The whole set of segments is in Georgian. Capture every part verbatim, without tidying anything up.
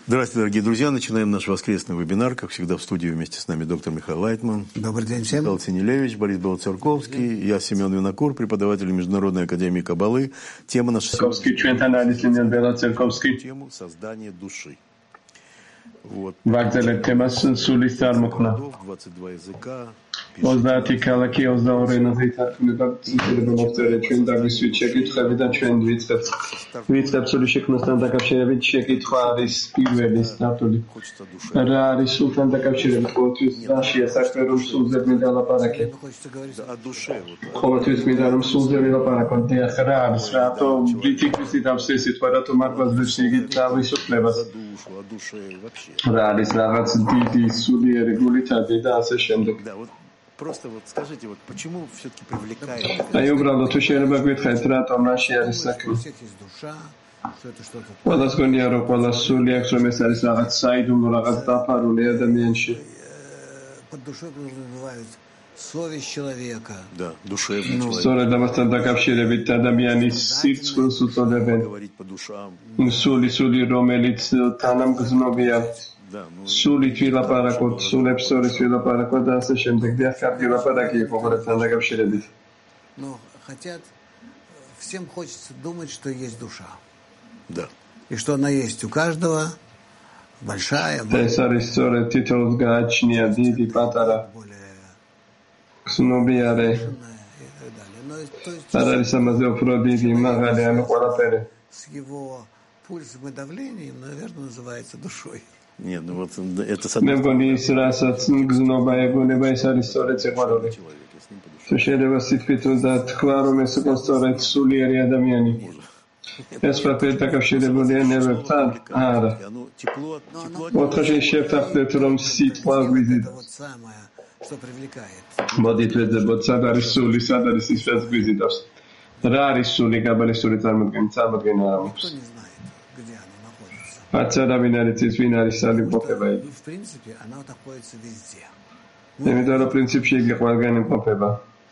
Здравствуйте, дорогие друзья. Начинаем наш воскресный вебинар. Как всегда, в студии вместе с нами доктор Михаил Лайтман. Добрый день всем. Михаил Ценилевич, Борис Белоцерковский. Я Семен Винокур, преподаватель Международной академии Каббалы. Тема нашей сегодняшней тему создание души. Вот. двадцать два языка. ოცდაათი ქალაქი ოცდაორი ენაზე თარგმნება ინტერნეტ მომწერა ჩვენ დაგვისვით შეკითხები და ჩვენ ვიწყებთ ვიწყებთ სული შექმნასთან დაკავშირებით შეკითხვა არის პირველი სტატული რა არის სულთან დაკავშირებით ყოველთვის რაშია საქმე რომ სულზე მინდა ლაპარაკი ყოველთვის მინდა რომ სულზე ვილაპარაკო და რა არის რატო ბრიტიკისი დავსე სიტყვა რატო მარგვაზებს იგი თავისუფლებას რა არის რაღაც დიდი სულიერი გულითადი და ასე შემდეგ Просто вот скажите, вот почему все-таки привлекает... Ai uბრალოდ თუ შეიძლება გითხარით რატომ რაში არის საქმე? ყველას გონია რომ ყველა სული აქვს რომ ეს არის რაღაც საიდუმლო რაღაც დაფარული ადამიანში. Под душой подразумевают совесть человека. Да, душевный человек. სწორედ ამასთან დაკავშირებით ადამიანის სირცხვილს უწოდებენ. სული სული რომელიც თანამგზნობია. სულით ვილაპარაკოთ, სულებს შორის ვილაპარაკოთ და ასე შემდეგ. და კარგი ლაპარაკი იყო ყოველთან დაკავშირებით. Но хотят, всем хочется думать, что есть душа. Да. И что она есть у каждого, большая, ეს არის სწორედ თითოეულს გააჩნია დიდი, პატარა, გზნობიარე. არ არის ამაზე უფრო დიდი, მაღალი, ანუ ყველაფერი. С его пульсом и давлением, наверное, называется душой. Нет, ну вот это მე მგონი ის რასაც გზნობა ეგონება ეს არის სწორედ სიყვარული. თუ შეიძლება სიტყვით უნდა თქვა რომ ეს იყო სწორედ სულიერი ადამიანი. ეს ყველაფერი დაკავშირებულია ნერვებთან? არა. ოთხში შევთანხმდეთ რომ სიტყვა გვიზიდავს. მოდით ვეძებოთ სად არის სული, სად არის ის რაც გვიზიდავს. რა არის სული კაბალისტური წარმოდგენით? წარმოდგენა არ აქვს. Აცარავინ არის ის ვინ არის სალიმყოფება იგი. იმიტომ რომ პრინციპში იგი ყველგან იმყოფება.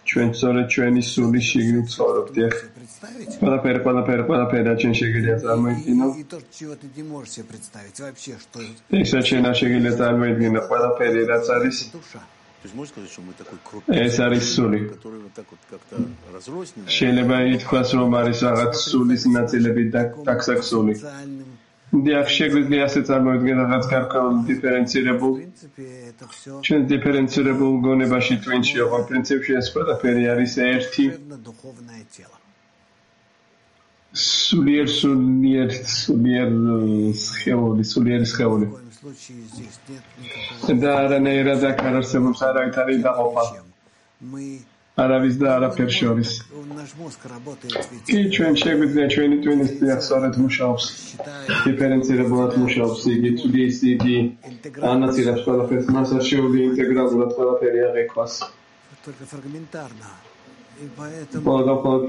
ჩვენ სწორედ ჩვენი სულის შიგნით ცხოვრობთ. ყველაფერი, ყველაფერი, ყველაფერი რაც ჩვენ შეგიძლია წარმოიდგინო. ეს ჩვენ არ შეგიძლია წარმოიდგინო ყველაფერი რაც არის. ეს არის სული. შეიძლება ითქვას რომ არის რაღაც სულის ნაწილები დაქსაქსული. დიახ, შეგვიძლია ასე წარმოიდგინოთ რაღაც გარკვეულ დიფერენცირებულ ჩვენ დიფერენცირებულ გონებაში twinში ოღონ პრინციპში ეს ყველაფერი არის ერთი სულიერ სულიერ სულიერ სხეული სულიერი სხეული და არანაირად აქ არ არსებობს არავითარი დაყოფა არავის და არაფერ შორის. კი ჩვენ შეგვიძლია ჩვენი ტვინის დიახ სწორედ მუშაობს. დიფერენცირებულად მუშაობს იგი თulis იგი ანაწილებს ყველაფერს მას არ შეუძლია ინტეგრალურად ყველაფერი აღიქვას. Только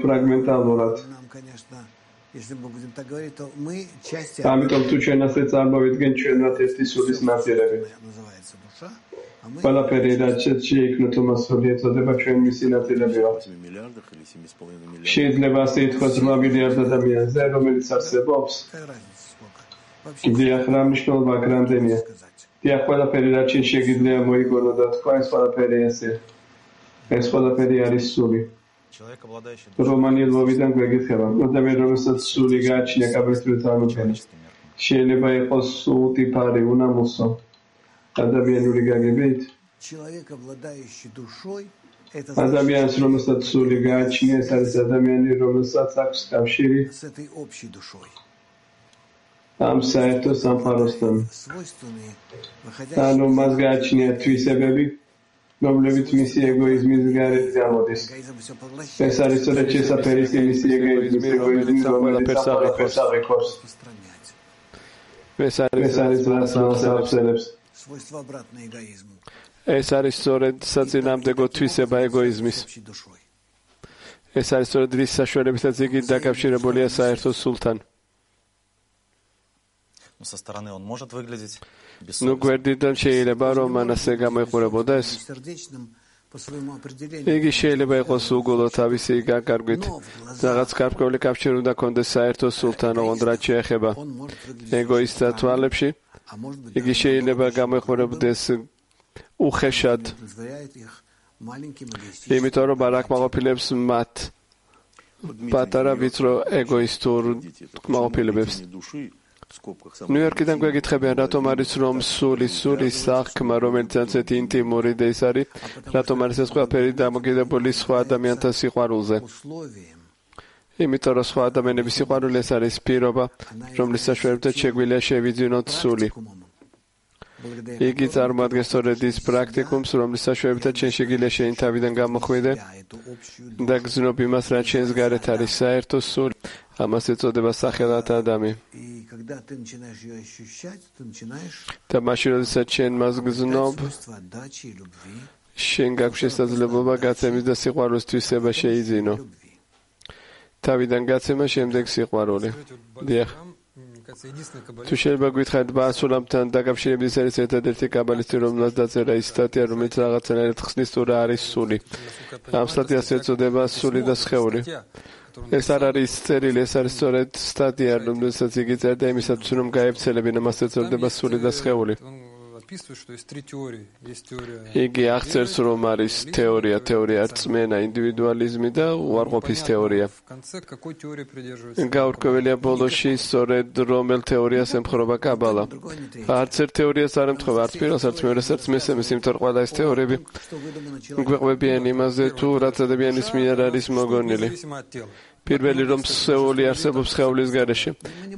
фрагменталურად. ამიტომ თუ ჩვენ ასე წარმოვიდგენ ჩვენად ერთი სულის ნაწილები. ყველაფერი რაც შეიქმნა თომასური ეწოდება ჩვენ მისი ნაწილები ვართ. შეიძლება ასე ითქვას რვა მილიარდ ადამიანზე, რომელიც არსებობს. დიახ, რა მნიშვნელობა აქვს რამდენია? დიახ, ყველაფერი რაც შეიძლება მოიგონო და თქვა ეს ყველაფერი ასე. ეს ყველაფერი არის სული. რომანი ლოვიდან გვეკითხება, ადამიანი რომელსაც სული გააჩნია კაბალისტური წარმოდგენით. შეიძლება იყოს უტიფარი, უნამოსო. ადამიანური გაგებით ადამიანს რომელსაც სული გააჩნია ეს არის ადამიანი რომელსაც აქვს კავშირი ამ საერთო სამყაროსთან ანუ მას გააჩნია თვისებები რომლებიც მისი ეგოიზმის გარეთ გამოდის ეს არის სწორედ შესაფერისი მისი ეგოიზმის ეგოიზმის რომელიც აღიქვავს ეს არის რაც მოსავალს ეს არის სწორედ საწინააღმდეგო თვისება ეგოიზმის. ეს არის სწორედ რის საშუალებითაც იგი დაკავშირებულია საერთო სულთან. ნუ გვერდიდან შეიძლება რომ ანასე გამოიყურებოდეს. იგი შეიძლება იყოს უგულო თავისი გაკარგვით. რაღაც გარკვეული კავშირი უნდა კონდეს საერთო სულთან, ოღონდ რაც შეეხება ეგოისტთა თვალებში. იგი შეიძლება გამოეხმარებოდეს უხეშად, იმიტომ რომ არ აკმაყოფილებს მათ პატარა ვიწრო ეგოისტურ კმაყოფილებებს. ნიუ-იორკიდან გვეკითხებიან, რატომ არის რომ სული, სული საქმე, რომელიც ასეთი ინტიმური და ის არის, რატომ არის ეს ყველაფერი დამოკიდებული სხვა ადამიანთა სიყვარულზე. იმიტომ რომ სხვა ადამიანების სიყვარული ეს არის პირობა, რომლის საშუალებითაც შეგვიძლია შევიძინოთ სული. იგი წარმოადგენს სწორედ ის პრაქტიკუმს, რომლის საშუალებითაც შენ შეგვიძლია შენი თავიდან გამოხვიდე და გზნობ იმას, რაც შენს გარეთ არის საერთო სული. ამას ეწოდება სახელად ადამი. და მაშინ, როდესაც შენ მას გზნობ, შენ გაქვს შესაძლებლობა გაცემის და სიყვარულის თვისება შეიძინო. თავიდან გაცემა, შემდეგ სიყვარული. დიახ. თუ შეიძლება გითხარით ბასულამთან დაკავშირებით, ეს არის ერთადერთი კაბალისტი, რომელსაც დაწერა ის სტატია, რომელიც რაღაცნაირად ხსნის თუ რა არის სული. ამ სტატიას ეწოდება სული და სხეული. ეს არ არის წერილი, ეს არის სწორედ სტატია, რომელსაც იგი წერდა იმისათვის, რომ გაევრცელებინა, მას ეწოდება სული და სხეული. იგი აღწერს, რომ არის თეორია, თეორია რწმენა, ინდივიდუალიზმი და უარყოფის თეორია. გაურკვეველია ბოლოში, სწორედ რომელ თეორიას ემხრობა კაბალა. არც ერთ თეორიას არ ემთხვევა, არც პირველს, არც მეორეს, არც მესამეს, იმიტომ რომ ყველა ეს თეორიები გვეყვებიან იმაზე, თუ რაც ადამიანის მიერ არის მოგონილი. პირველი რომ სხეული არსებობს სხეულის გარეშე.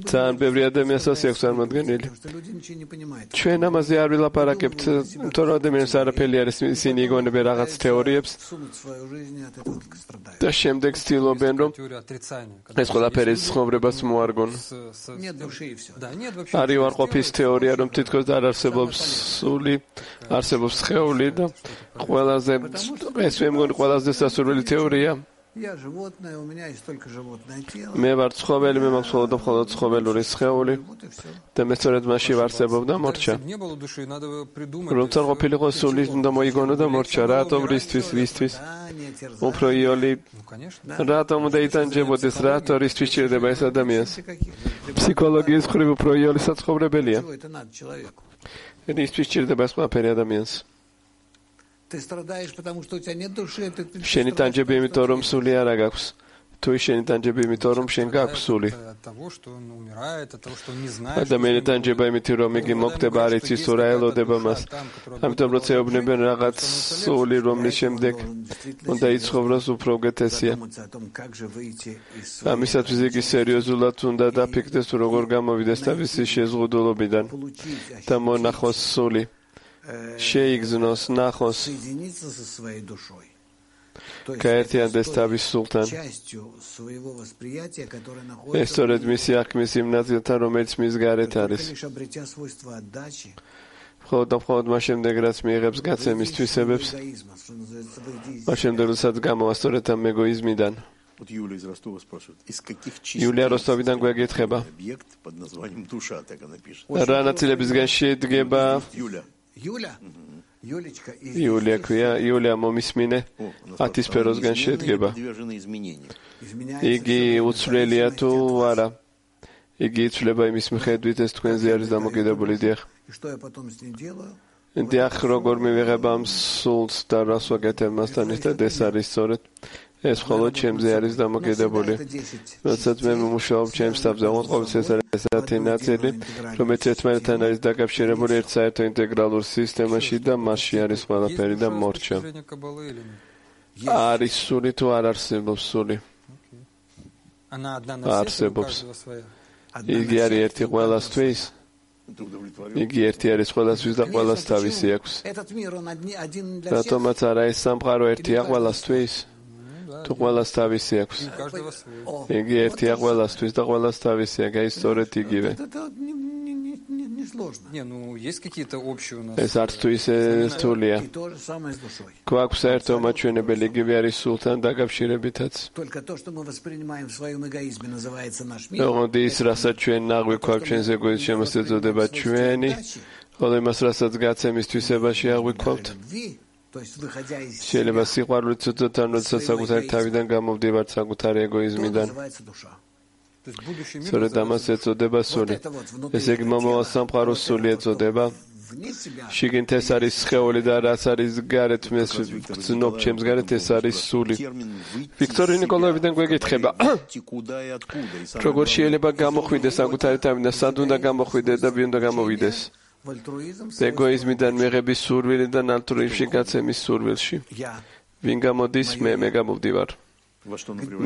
ძალიან ბევრი ადამიანს ასე აქვს წარმოდგენილი. ჩვენ ამაზე არ ვილაპარაკებთ, იმიტომ რომ ადამიანს არაფერი არის, ისინი იგონებენ რაღაც თეორიებს და შემდეგ ცდილობენ, რომ ეს ყველაფერი ცხოვრებას მოარგონ. არის უარყოფის თეორია, რომ თითქოს არ არსებობს სული, არსებობს სხეული და ყველაზე ეს მე მგონი ყველაზე სასურველი თეორია. მე ვარ ცხოველი, მე მაქვს მხოლოდ და მხოლოდ ცხოველური სხეული და მე სწორედ მასში ვარსებობ და მორჩა. რომ არ ყოფილიყო სული, უნდა მოიგონო და მორჩა. რატომ, რისთვის, ვისთვის? უფრო იოლი, რატომ უნდა იტანჯებოდეს, რატო რისთვის ჭირდება ეს ადამიანს? ფსიქოლოგიის მხრივ უფრო იოლი საცხოვრებელია. რისთვის ჭირდება ეს ყველაფერი ადამიანს? შენი ტანჯები იმიტომ რომ სული არ აქვს. თუ შენი ტანჯები იმიტომ რომ შენ გაქვს სული. ადამიანი ტანჯება იმიტომ რომ იგი მოკვდება, არ იცის თუ რა ელოდება მას. ამიტომ როცა ეუბნებიან რაღაც სული, რომლის შემდეგ უნდა იცხოვროს, უფრო უკეთესია. ამისათვის იგი სერიოზულად უნდა დაფიქრდეს, თუ როგორ გამოვიდეს თავისი შეზღუდულობიდან და მონახოს სული. შეიგზნოს, ნახოს, გაერთიანდეს თავის სულთან. ეს სწორედ მისი აღქმის იმ ნაწილთან, რომელიც მის გარეთ არის. მხოლოდ და მხოლოდ მას შემდეგ, რაც მიიღებს გაცემის თვისებებს, მას შემდეგ, როდესაც გამოვა სწორედ ამ ეგოიზმიდან. იულია როსტოვიდან გვეკითხება, რა ნაწილებისგან შედგება იულია ქვია, იულია მომისმინე, ათი სფეროსგან შედგება. იგი უცვლელია თუ არა? იგი იცვლება იმის მიხედვით, ეს თქვენზე არის დამოკიდებული. დიახ. დიახ, როგორ მივიღებ ამ სულს და რას ვაკეთებ მასთან ერთად, ეს არის სწორედ. ეს მხოლოდ ჩემზე არის დამოკიდებული. როდესაც მე მომუშავებ ჩემს თავზე, ყოველთვის ეს არის ესეთი ნაწილი, რომელიც ერთმანეთთან არის დაკავშირებული ერთ საერთო ინტეგრალურ სისტემაში და მასში არის ყველაფერი და მორჩა. არის სული თუ არ არსებობს სული? არსებობს. იგი არის ერთი ყველასთვის. იგი ერთი არის ყველასთვის და ყველას თავისი აქვს. რატომაც არა ეს სამყარო ერთია ყველასთვის? თუ ყველას თავისი აქვს. იგი ერთია ყველასთვის და ყველას თავისი აქვს, აი სწორედ იგივე. ეს არც თუ ისე რთულია. გვაქვს საერთო მაჩვენებელი, იგივე არის სულთან დაკავშირებითაც. ოღონდ ის, რასაც ჩვენ აღვიქვავთ ჩვენს ეგოიზმს, შემოს ეწოდება ჩვენი, ხოლო იმას, რასაც გაცემის თვისებაში აღვიქვავთ, შეიძლება სიყვარულით უწოდოთ, ან როდესაც საკუთარი თავიდან გამოვდივართ საკუთარი ეგოიზმიდან. სწორედ ამას ეწოდება სული. ესე იგი მომავალ სამყაროს სული ეწოდება. შიგნით ეს არის სხეული და რაც არის გარეთ მეს გრძნობ ჩემს გარეთ ეს არის სული. ვიქტორი ნიკოლაევიდან გვეკითხება როგორ შეიძლება გამოხვიდეს საკუთარი თავი და სად უნდა გამოხვიდეს და ვინ უნდა გამოვიდეს ეგოიზმიდან მიღების სურვილიდან ალტრუიზმში გაცემის სურვილში ვინ გამოდის მე მე გამოვდივარ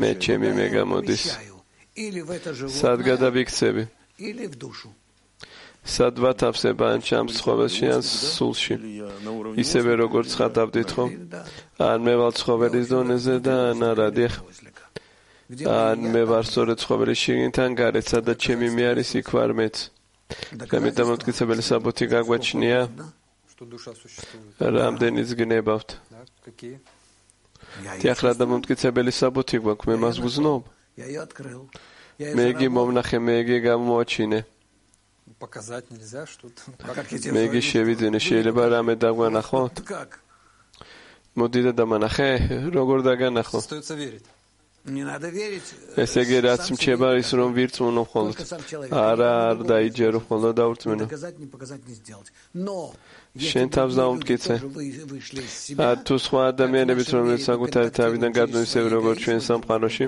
მე ჩემი მე გამოდის სად გადავიქცევი სად ვათავსება ან ჩამს ცხოველში ან სულში ისევე როგორც ხატავდით ხო ან მე ვალ ცხოველის დონეზე და ან არა დიახ ან მე ვარ სწორედ ცხოველის შიგნით ან გარეთ სადაც ჩემი მე არის იქ ვარ მეც გამეტამოთქცებელი საბუთი გაგვაჩნია რამდენიც გნებავთ დიახ რა დამომტკიცებელი საბუთი გვაქვს მე მას ვგზნობ მე იგი მომნახე მე იგი გამოაჩინე показать нельзя, что მე იგი შევიძინე, შეიძლება რამე დაგვანახოთ? მოდი და დამანახე, როგორ დაგანახო? ესე იგი რაც მჩება ის რომ ვირწმუნო მხოლოდ. არა, არ დაიჯერო მხოლოდ დაურწმუნო. შენ თავს დაუმტკიცე. თუ სხვა ადამიანებიც რომელიც საკუთარი თავიდან გადმოდის ისე როგორც ჩვენ სამყაროში,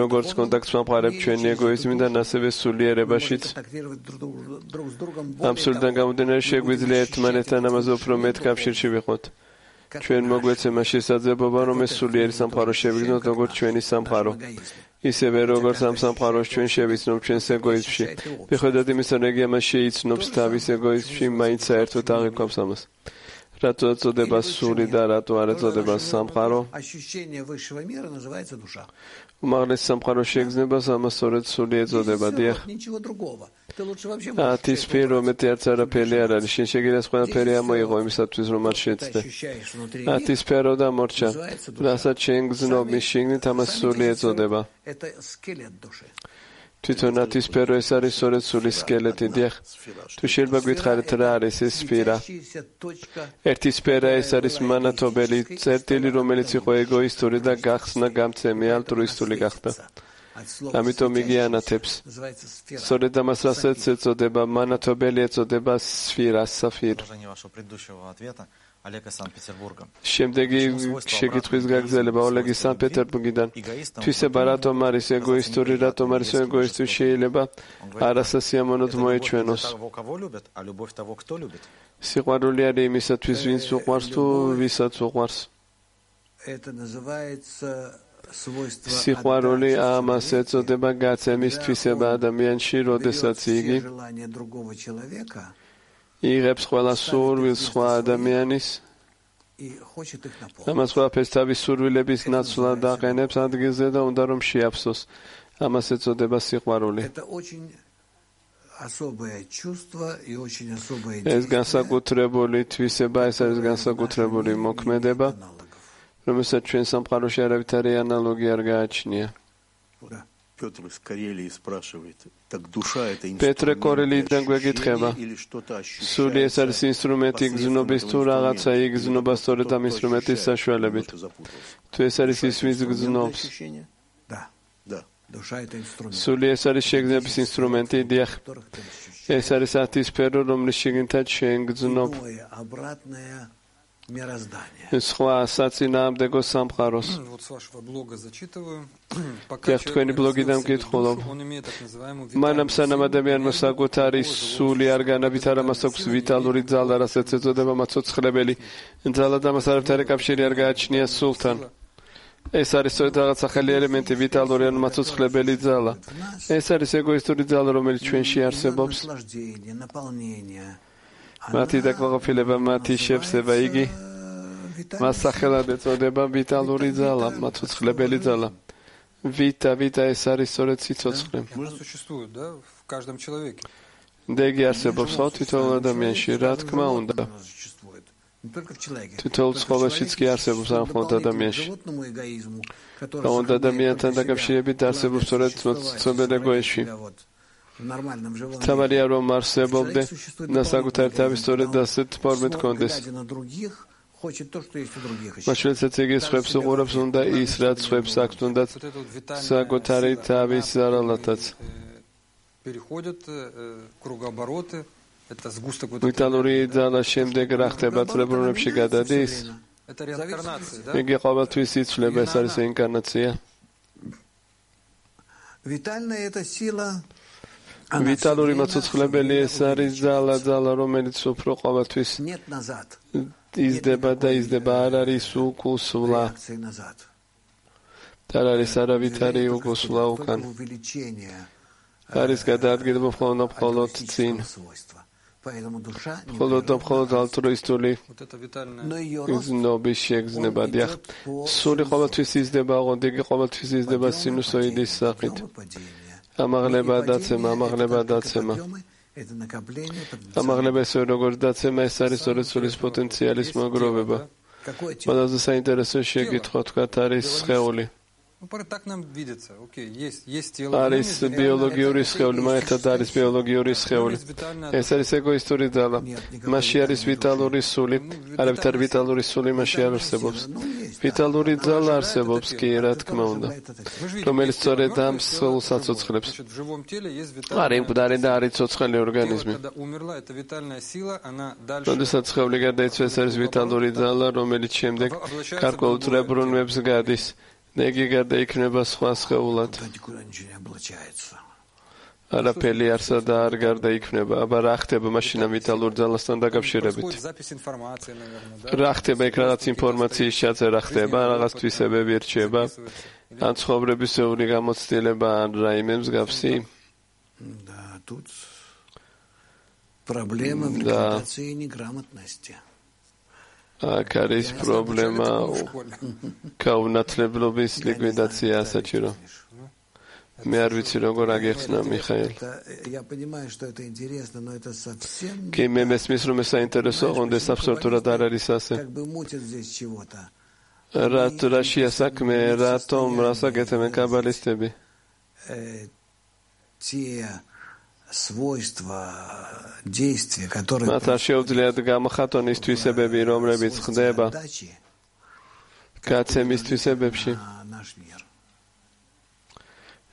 როგორც კონტაქტს ვამყარებთ ჩვენი ეგოიზმიდან, ასევე სულიერებაშიც. ამ სულიდან გამომდინარე შეგვიძლია ერთმანეთთან ამაზე უფრო მეტ კავშირში ვიყოთ. ჩვენ მოგვეცემა შესაძლებლობა რომ ეს სულიერი სამყარო შევიგნოთ როგორც ჩვენი სამყარო. ისევე როგორც ამ სამყაროს ჩვენ შევიცნობ ჩვენს ეგოიზმში. მიუხედავად იმისა, რომ იგი ამას შეიცნობს თავის ეგოიზმში, მაინც საერთოდ აღიქვამს ამას. რატო ეწოდება სული და რატო არ ეწოდება სამყარო? უმაღლეს სამყაროს შეგრძნებას ამას სწორედ სული ეწოდება, დიახ. ათი სფერო მეტი არც არაფერი არ არის. შენ შეგიძლია ყველაფერი ამოიღო იმისათვის, რომ არ შეცდე. ათი სფერო და მორჩა. რასაც შენ გრძნობ მის შიგნით, ამას სული ეწოდება. თვითონ ათი სფერო ეს არის სწორედ სულის სკელეტი, დიახ. თუ შეიძლება გითხარით რა არის ეს სფერა? ერთი სფერა ეს არის მანათობელი წერტილი, რომელიც იყო ეგოისტური და გახსნა გამცემი ალტრუისტული გახდა. ამიტომ იგი ანათებს. სწორედ ამას რასაც ეწოდება მანათობელი ეწოდება სფერა, საფირ. შემდეგი შეკითხვის გაგრძელება ოლეგის სანქტ-პეტერბურგიდან. თვისება რატომ არის ეგოისტური, რატომ არის ეგოისტური შეიძლება არასასიამოვნოდ მოეჩვენოს. სიყვარული არის იმისათვის, ვინც უყვარს თუ ვისაც უყვარს. სიყვარული ამას ეწოდება გაცემის თვისება ადამიანში, როდესაც იგი იღებს ყველა სურვილს სხვა ადამიანის ამას ყველაფერს თავის სურვილების ნაცვლად აყენებს ადგილზე და უნდა რომ შეაფსოს. ამას ეწოდება სიყვარული. ეს განსაკუთრებული თვისება, ეს არის განსაკუთრებული მოქმედება, რომელსაც ჩვენ სამყაროში არავითარი ანალოგი არ გააჩნია. პეტრე კორელიიდან გვეკითხება სული ეს არის ინსტრუმენტი გზნობის თუ რაღაცა იგზნობა სწორედ ამ ინსტრუმენტის საშუალებით თუ ეს არის ის ვინც გზნობს სული ეს არის შეგრძნების ინსტრუმენტი დიახ ეს არის ათი სფერო რომლის შიგნითაც შენ გზნობ სხვა საწინააღმდეგო სამყაროს. გახ თქვენი ბლოგიდან ვკითხულობ. მანამ სანამ ადამიანმა საკუთარი სული არ განავითარა, მას აქვს ვიტალური ძალა, რასაც ეწოდება მაცოცხლებელი ძალა და მას არავითარი კავშირი არ გააჩნია სულთან. ეს არის სწორედ რაღაც ახალი ელემენტი, ვიტალური ან მაცოცხლებელი ძალა. ეს არის ეგოისტური ძალა, რომელიც ჩვენში არსებობს. მათი დაკმაყოფილება, მათი შევსება, იგი მას სახელად ეწოდება ვიტალური ძალა, მაცოცხლებელი ძალა. ვიტა, ვიტა ეს არის სწორედ სიცოცხლე. და იგი არსებობს ხო თითოეულ ადამიანში, რა თქმა უნდა. თითოეულ ცხოველშიც კი არსებობს არ მხოლოდ ადამიანში. და ადამიანთან დაკავშირებით არსებობს სწორედ მოცემულ ეგოიზმში. თამარია რომ არსებობდე და საკუთარი თავის სწორედ ასეთ ფორმით კონდეს. მაშინაც იგი სხვებს უყურებს, უნდა ის, რაც სხვებს აქვს, თუნდაც საკუთარი თავის ზარალათაც. ვიტალური ძალა შემდეგ რა ხდება წრებრუნებში გადადის? იგი ყოველთვის იცვლება, ეს არის ინკარნაცია. ვიტალური მოცოცხლებელი ეს არის ძალა, ძალა, რომელიც უფრო ყოველთვის იზრდება და იზრდება, არ არის უკუსვლა. არ არის არავითარი უკუსვლა უკან. არის გადაადგილება მხოლოდ მხოლოდ წინ. მხოლოდ მხოლოდ ალტრუისტული გზნობის შეგრძნება. დიახ, სული ყოველთვის იზრდება, ოღონდ იგი ყოველთვის იზრდება სინუსოიდის სახით. ამაღლება დაცემა, ამაღლება დაცემა. ამაღლება ესე როგორც დაცემა, ეს არის სწორედ სულის პოტენციალის მოგროვება. ყველაზე საინტერესო შეკითხვა თქვათ არის სხეული. არის ბიოლოგიური სხეული, მაგალითად არის ბიოლოგიური სხეული. ეს არის ეგოისტური ძალა. მასში არის ვიტალური სული, არავითარი ვიტალური სული მასში არ არსებობს. ვიტალური ძალა არსებობს კი, რა თქმა უნდა, რომელიც სწორედ ამ სხეულს აცოცხლებს. არის მკვდარი და არის ცოცხალი ორგანიზმი. როდესაც სხეული გარდაიცვალა, ეს არის ვიტალური ძალა, რომელიც შემდეგ გარკვეულ წრებრუნვებს გადის. ნეგი გარდაიქმნება სხვა სხეულად. არაფერი არსა და არ გარდაიქმნება. აბა რა ხდება მაშინ ამ ვიტალურ ძალასთან დაკავშირებით? რა ხდება იქ, რაღაც ინფორმაციის ჩაწერა ხდება, რაღაც თვისებები რჩება, ან ცხოვრებისეული გამოცდილება, ან რაიმე მსგავსი? აქ არის პრობლემა გაუნათლებლობის ლიკვიდაცია საჭირო. მე არ ვიცი როგორ აგეხსნა მიხაილ. კი მე მესმის რომ ეს საინტერესო, ოღონდ ეს აბსოლუტურად არ არის ასე. რათ რაშია საქმე, რატომ რასაკეთებენ კაბალისტები? მათ არ შეუძლიათ გამოხატონ ის თვისებები, რომლებიც ხდება გაცემის თვისებებში.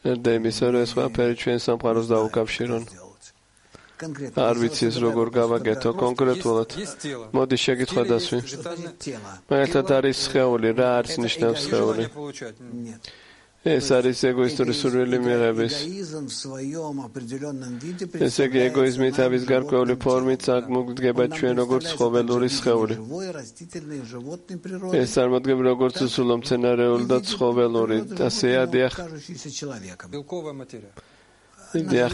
და იმისა, რომ ეს ყველაფერი ჩვენ სამყაროს დაუკავშირონ. არ ვიცი ეს როგორ გავაკეთო კონკრეტულად. მოდი შეკითხვა დასვი. მაგალითად არის სხეული, რა არის ნიშნავს სხეული? ეს არის ეგოისტური სურვილი მიღების. ესე იგი ეგოიზმი თავის გარკვეული ფორმით წარმოგვიდგება ჩვენ როგორც ცხოველური სხეული. ეს წარმოდგება როგორც უსულო მცენარეული და ცხოველური. ასეა, დიახ. Дях.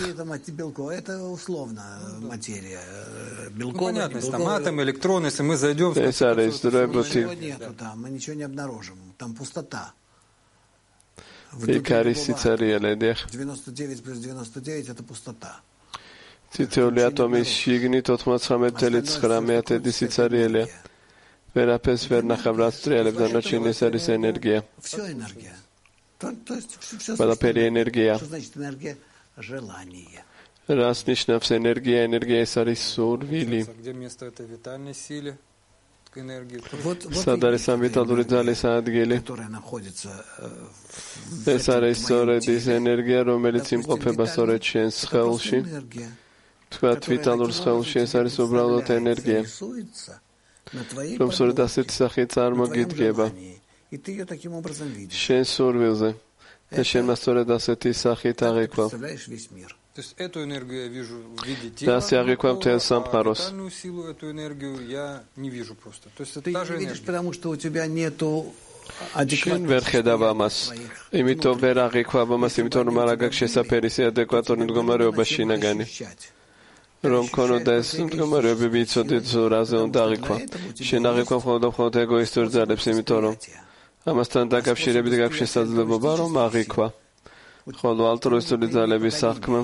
Понятно, там атомы, электроны, если мы зайдем... Мы ничего не обнаружим, там пустота. девяносто девять плюс девяносто девять это пустота. ციტეული ატომის შიგნით ოთხმოცდამეტი წელი ცხრამეტი სიცარიელია. ვერაფერს ვერ ნახავ, რაც ტრიალებს, დანარჩენი ეს არის ენერგია. Всё энергия. ყველაფერი ენერგია. Что значит энергия? Желание. Рас ნიშნავს ენერგია, ენერგია ეს არის სურვილი. Где место этой витальной силы? სად არის ამ ვიტალური ძალის ადგილი? ეს არის სწორედ ის ენერგია, რომელიც იმყოფება სწორედ შენ სხეულში. თქვათ ვიტალურ სხეულში ეს არის უბრალოდ ენერგია, რომ სწორედ ასეთი სახით წარმოგიდგება შენ სურვილზე და შენმა სწორედ ასეთი სახით აღიქვამს. То есть эту энергию я вижу в виде тела, а витальную силу, эту энергию я не вижу просто. То есть это та же видишь, потому что у тебя нету შენ ვერ ხედავ ამას. იმიტომ ვერ აღიქვამს ამას, იმიტომ რომ არ აქვს შესაფერისი ადეკვატური მდგომარეობა შინაგანი. რომ ქონოდა ეს მდგომარეობები ვიცოდით, რაზე უნდა აღიქვა. შენ აღიქვა მხოლოდ მხოლოდ ეგოისტურ ძალებს, იმიტომ რომ ამასთან დაკავშირებით გაქვს შესაძლებლობა რომ აღიქვა. ხოლო ალტრუისტული ძალების საქმე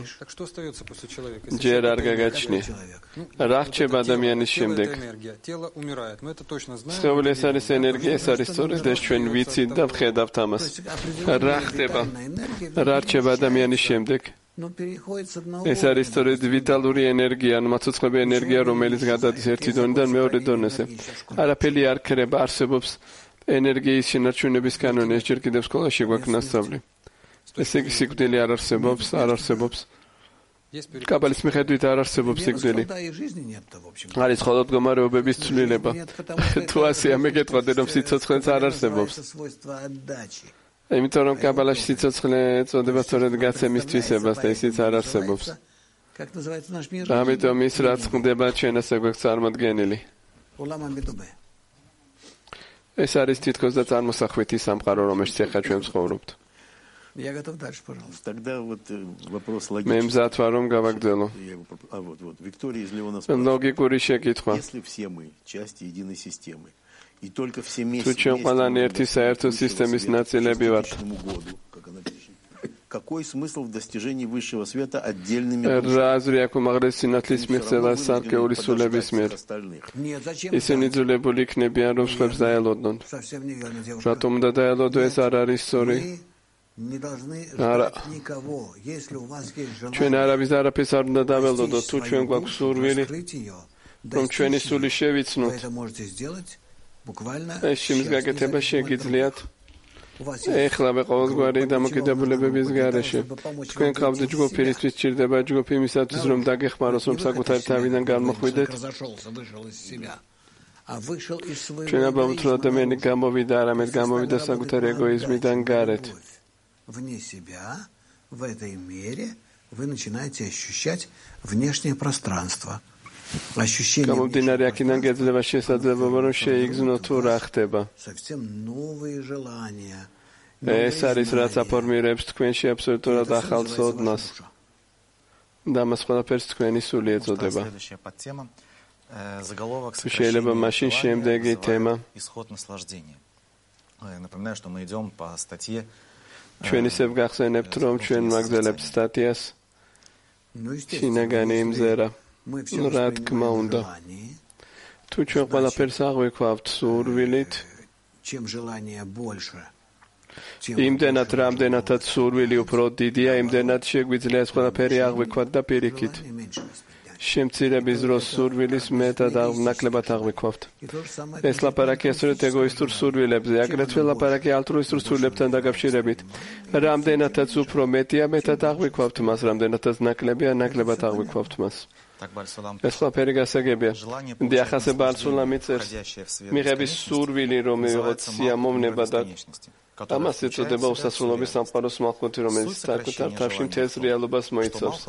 ჯერ არ გაგაჩნია. რა ხდება ადამიანის შემდეგ? სხეული ეს არის ენერგია, ეს არის სწორედ ეს ჩვენ ვიცით და ვხედავთ ამას. რა ხდება? რა რჩება ადამიანის შემდეგ? ეს არის სწორედ ვიტალური ენერგია, ანუ მაცოცხლები ენერგია, რომელიც გადადის ერთი დონიდან მეორე დონეზე. არაფერი არ ქრება, არსებობს ენერგიის შენარჩუნების კანონი, ეს ჯერ კიდევ სკოლაში გვაქვს ნასწავლი. ესე იგი სიკვდილი არ არსებობს, არ არსებობს. კაბალის მიხედვით არ არსებობს სიკვდილი. არის მხოლოდ მდგომარეობების ცვლილება. თუ ასეა მეკითხავდი, რომ სიცოცხლეც არ არსებობს. იმიტომ რომ კაბალაში სიცოცხლე ეწოდება სწორედ გაცემის თვისებას და ისიც არ არსებობს. ამიტომ ის რაც ხდება ჩვენ ასე გვაქვს წარმოდგენილი. ეს არის თითქოს და წარმოსახვითი სამყარო, რომელშიც ახლა ჩვენ ვცხოვრობთ. Я готов дальше, пожалуйста. Тогда вот вопрос логичный. მე მზადვარ რომ გავაგრძელო. А вот вот Виктория из Леона ლოგიკური შეკითხვა. Если все мы части единой системы и только все вместе. თუ ჩვენ ყველანი ერთი საერთო სისტემის ნაწილები варთ. Какой смысл в достижении высшего света отдельными რა აზრი აქვს უმაღლესი სინათლის მიღწევას სარკეული სულების მიერ? ისინი ძულებული იქნებიან რომ სხვებს დაელოდონ. რატომ უნდა დაელოდო, ეს არ არის სწორი? არა. ჩვენ არავის არაფერს არ უნდა დაველოდოთ, თუ ჩვენ გვაქვს სურვილი, რომ ჩვენი სული შევიცნოთ. ეს შიმის გაკეთება შეგიძლიათ. ეხლავე ყოველგვარი დამოკიდებულებების გარეშე. თქვენ ყავთ ჯგუფი, რისთვის სჭირდება ჯგუფი იმისათვის, რომ დაგეხმაროს, რომ საკუთარი თავიდან გამოხვიდეთ. ჩვენ ამბობთ, რომ ადამიანი გამოვიდა, არამედ გამოვიდა საკუთარი ეგოიზმიდან გარეთ. Вне себя, в этой мере, вы начинаете ощущать внешнее пространство. Ощущение გამომდინარე აქედან გეძლევა შესაძლებლობა, რომ შეიგრძნო თუ რა ხდება. Совсем новые желания. ეს არის რაც აფორმირებს თქვენში აბსოლუტურად ახალ ცოდნას. და მას ყველაფერს თქვენი სული ეწოდება. შეიძლება მაშინ შემდეგი თემა. Напоминаю, что мы идем по статье ჩვენ ისევ გახსენებთ, რომ ჩვენ ვაგრძელებთ სტატიას შინაგანი იმზერა. რა თქმა უნდა. თუ ჩვენ ყველაფერს აღვიქვავთ სურვილით, იმდენად რამდენადაც სურვილი უფრო დიდია, იმდენად შეგვიძლია ეს ყველაფერი აღვიქვათ და პირიქით. შემცირების დროს სურვილის მეტად ნაკლებად აღვიქვავთ. ეს ლაპარაკია სწორედ ეგოისტურ სურვილებზე, აგრეთვე ლაპარაკია ალტრუისტურ სურვილებთან დაკავშირებით. რამდენადაც უფრო მეტია, მეტად აღვიქვავთ მას, რამდენადაც ნაკლებია, ნაკლებად აღვიქვავთ მას. ეს ყველაფერი გასაგებია. დიახასება ალსულამ იწერს, მიღების სურვილი, რომ მივიღოთ სიამოვნება და ამას ეწოდება უსასრულობის სამყაროს მალხუთი, რომელიც საკუთარ თავში მთელს რეალობას მოიცავს.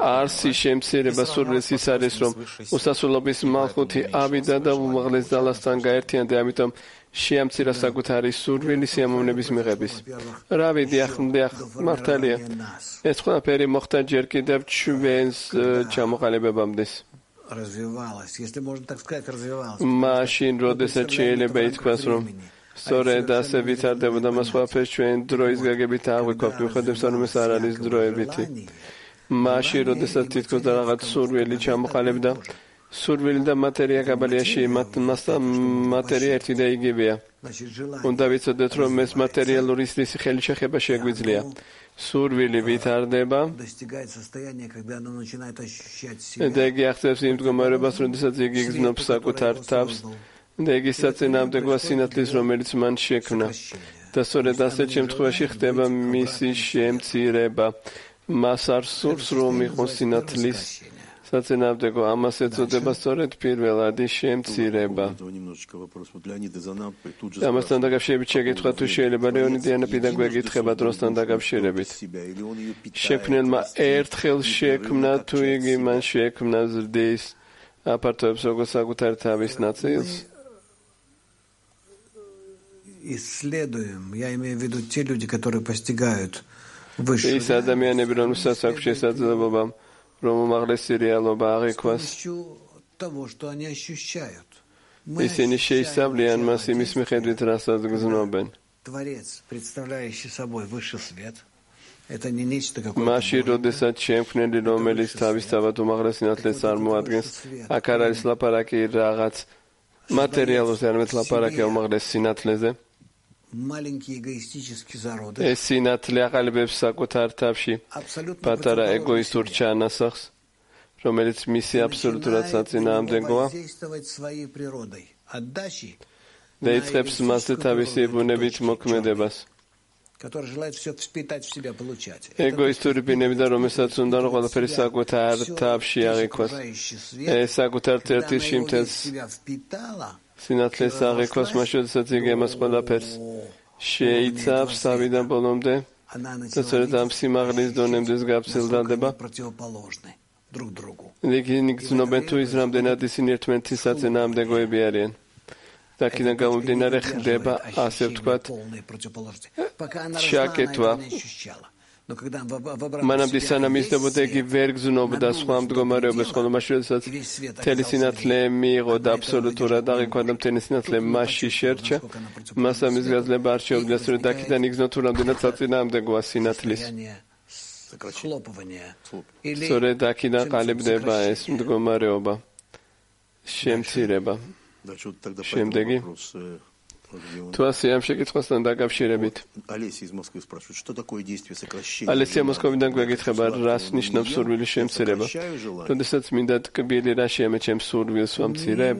არსი შემცირება სურვილის ის არის, რომ უსასრულობის მალხუთი ავიდა და უმაღლეს ძალასთან გაერთიანდა, ამიტომ შეამცირა საკუთარი სურვილი სიამოვნების მიღების. რავი, დიახ, დიახ, მართალია. ეს ყველაფერი მოხდა ჯერ კიდევ ჩვენს ჩამოყალიბებამდე. მაშინ, როდესაც შეიძლება ითქვას, რომ სწორედ ასე ვითარდებოდა მას ყველაფერს ჩვენ დროის გაგებით აღვიქვავთ, მიუხედავად რომ ეს არ არის დროებითი. მაშინ, როდესაც თითქოს რაღაც სურვილი ჩამოყალიბდა, სურვილი და მატერია კაბალიაში მასთან მატერია ერთი და იგივეა. უნდა ვიცოდეთ, რომ ეს მატერიალური სისხლის ხელი შეხება შეგვიძლია. სურვილი ვითარდება და იგი აღწევს იმ მდგომარეობას, როდესაც იგი იგრძნობს საკუთარ თავს და იგი საწინააღმდეგოა სინათლის, რომელიც მან შექმნა. და სწორედ ასეთ შემთხვევაში ხდება მისი შემცირება. მას არ სურს, რომ იყოს სინათლის საწინააღმდეგო, ამას ეწოდება სწორედ პირველადი შემცირება. ამასთან დაკავშირებით შეკითხვა, თუ შეიძლება ლეონიდიანა პედაგოგი ეკითხება დროსთან დაკავშირებით. შექმნელმა ერთხელ შექმნა, თუ იგი მან შექმნა ზრდის აპარტოებს როგორც საკუთარ თავის ნაწილს. Исследуем, я имею в виду те люди, которые постигают высшую ის ადამიანები, რომელსაც აქვს შესაძლებლობა, რომ უმაღლესი რეალობა აღიქვას, ისინი შეისწავლიან მას იმის მიხედვით, რასაც გრძნობენ. მაშინ, როდესაც შემქმნელი, რომელიც თავისთავად უმაღლეს სინათლეს წარმოადგენს, აქ არ არის ლაპარაკი რაღაც მატერიალურზე, არამედ ლაპარაკია უმაღლეს სინათლეზე. ეს სინათლე აყალიბებს საკუთარ თავში პატარა ეგოისტურ ჩანასახს, რომელიც მისი აბსოლუტურად საწინააღმდეგოა და იწყებს მასზე თავისი ბუნებით მოქმედებას. ეგოისტური ბინებიდან, რომელსაც უნდა რომ ყველაფერი საკუთარ თავში აღიქვას. ეს საკუთარ თერთილში მთელს სინათლეს აღიქვას, მაშინ როდესაც იგი ამას ყველაფერს შეიცავს თავიდან ბოლომდე და სწორედ ამ სიმაღლის დონემდე გაფცილდება. იგი გრძნობენ თუ ის რამდენად ისინი ერთმანეთის საწინააღმდეგოები არიან. და აქედან გამომდინარე ხდება, ასე ვთქვათ, შაკეტვა. მანამდე სანამ ისდებოდა, იგი ვერ გრძნობდა სხვა მდგომარეობას, ხოლო მაშინ როდესაც მთელი სინათლე მიიღო და აბსოლუტურად აღიქვა და მთელი სინათლე მასში შერჩა, მას ამის გაძლება არ შეუძლია, სწორედ აქედან იგრძნო თუ რამდენად საწინააღმდეგოა სინათლის. სწორედ აქედან ყალიბდება ეს მდგომარეობა, შემცირება. შემდეგი თუ ასე ამ შეკითხვასთან დაკავშირებით ალესია მოსკოვიდან გვეკითხება, რას ნიშნავს სურვილის შემცირება? როდესაც მინდა ტკბილი რა შეემეჩემ სურვილს ვამცირებ?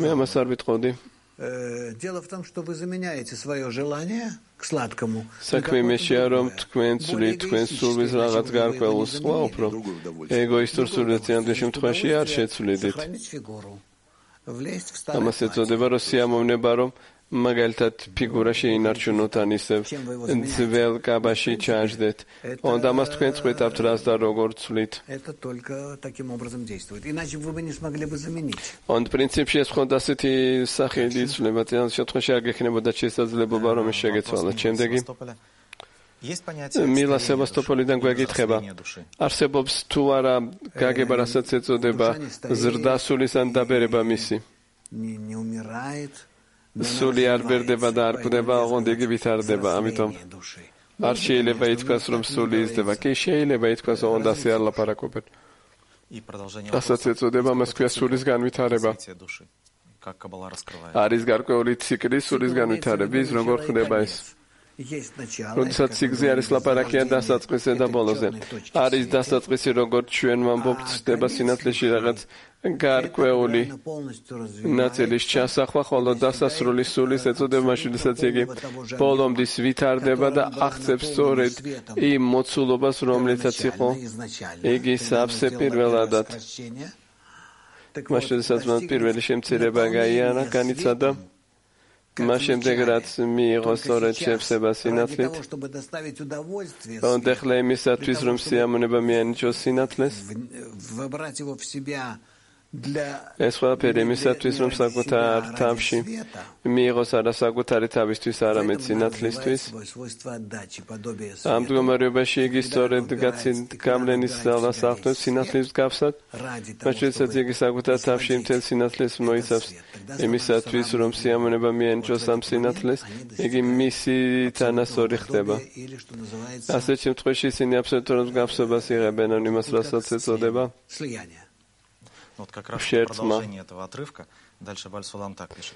მე ამას არ ვიტყოდი. Дело в том, что вы заменяете свое желание к сладкому. საქმე იმაშია, რომ თქვენ ცვლით თქვენ სურვილს რაღაც გარკვეულს, სხვა უფრო ეგოისტურ სურვილს ამ შემთხვევაში არ შეცვლიდით. ამას ეწოდება, რომ სიამოვნება, რომ მაგალითად ფიგურა შეინარჩუნოთ ან ისევ ძველ კაბაში ჩაჯდეთ. Onda ამას თქვენ წყვეტავთ რას და როგორ ცვლით. Это только таким образом действует. Иначе вы бы не смогли бы заменить. On პრინციპში ეს ხონდა ასეთი სახელი იცვლება, ამ შემთხვევაში არ გექნებოდა შესაძლებლობა რომ ეს შეგეცვალოთ. შემდეგი მილა სევასტოპოლიდან გვეკითხება, არსებობს თუ არა გაგება, რასაც ეწოდება ზრდასულის ან დაბერება მისი? Не умирает. სული არ ბერდება და არ კვდება, ოღონდ იგი ვითარდება, ამიტომ არ შეიძლება ითქვას, რომ სული იზრდება. კი შეიძლება ითქვას, ოღონდ ასე არ ლაპარაკობენ. რასაც ეწოდება, მას ქვია სულის განვითარება. არის გარკვეული ციკლი სულის განვითარების, როგორ ხდება ეს? როდესაც სიგზე არის ლაპარაკია დასაწყისზე და ბოლოზე. არის დასაწყისი, როგორც ჩვენ ვამბობთ, ხდება სინათლეში რაღაც გარკვეული ნაწილის ჩასახვა, ხოლო დასასრული სულის ეწოდება მაშინ, როდესაც იგი ბოლომდის ვითარდება და აღწევს სწორედ იმ მოცულობას, რომლითაც იყო იგი სავსე პირველადად. მაშინ, როდესაც მან პირველი შემცირება გაიარა, განიცადა, მას შემდეგ რაც მიიღო სწორედ შევსება სინათლით, თუმცა ახლა იმისათვის, რომ სიამოვნება მიანიჭოს სინათლეს, ეს ყველაფერი იმისათვის, რომ საკუთარ თავში მიიღოს არა საკუთარი თავისთვის, არამედ სინათლისთვის. ამ მდგომარეობაში იგი სწორედ გავლენის ძალას ახდენს სინათლის მსგავსად, მაშინ როდესაც იგი საკუთარ თავში მთელ სინათლეს მოიცავს, იმისათვის, რომ სიამოვნება მიანიჭოს ამ სინათლეს, იგი მისი თანასწორი ხდება. ასეთ შემთხვევაში ისინი აბსოლუტურად მსგავსებას იღებენ, ან იმას, რასაც ეწოდება Вот как раз продолжение этого отрывка. Дальше Баль-Сулам так пишет.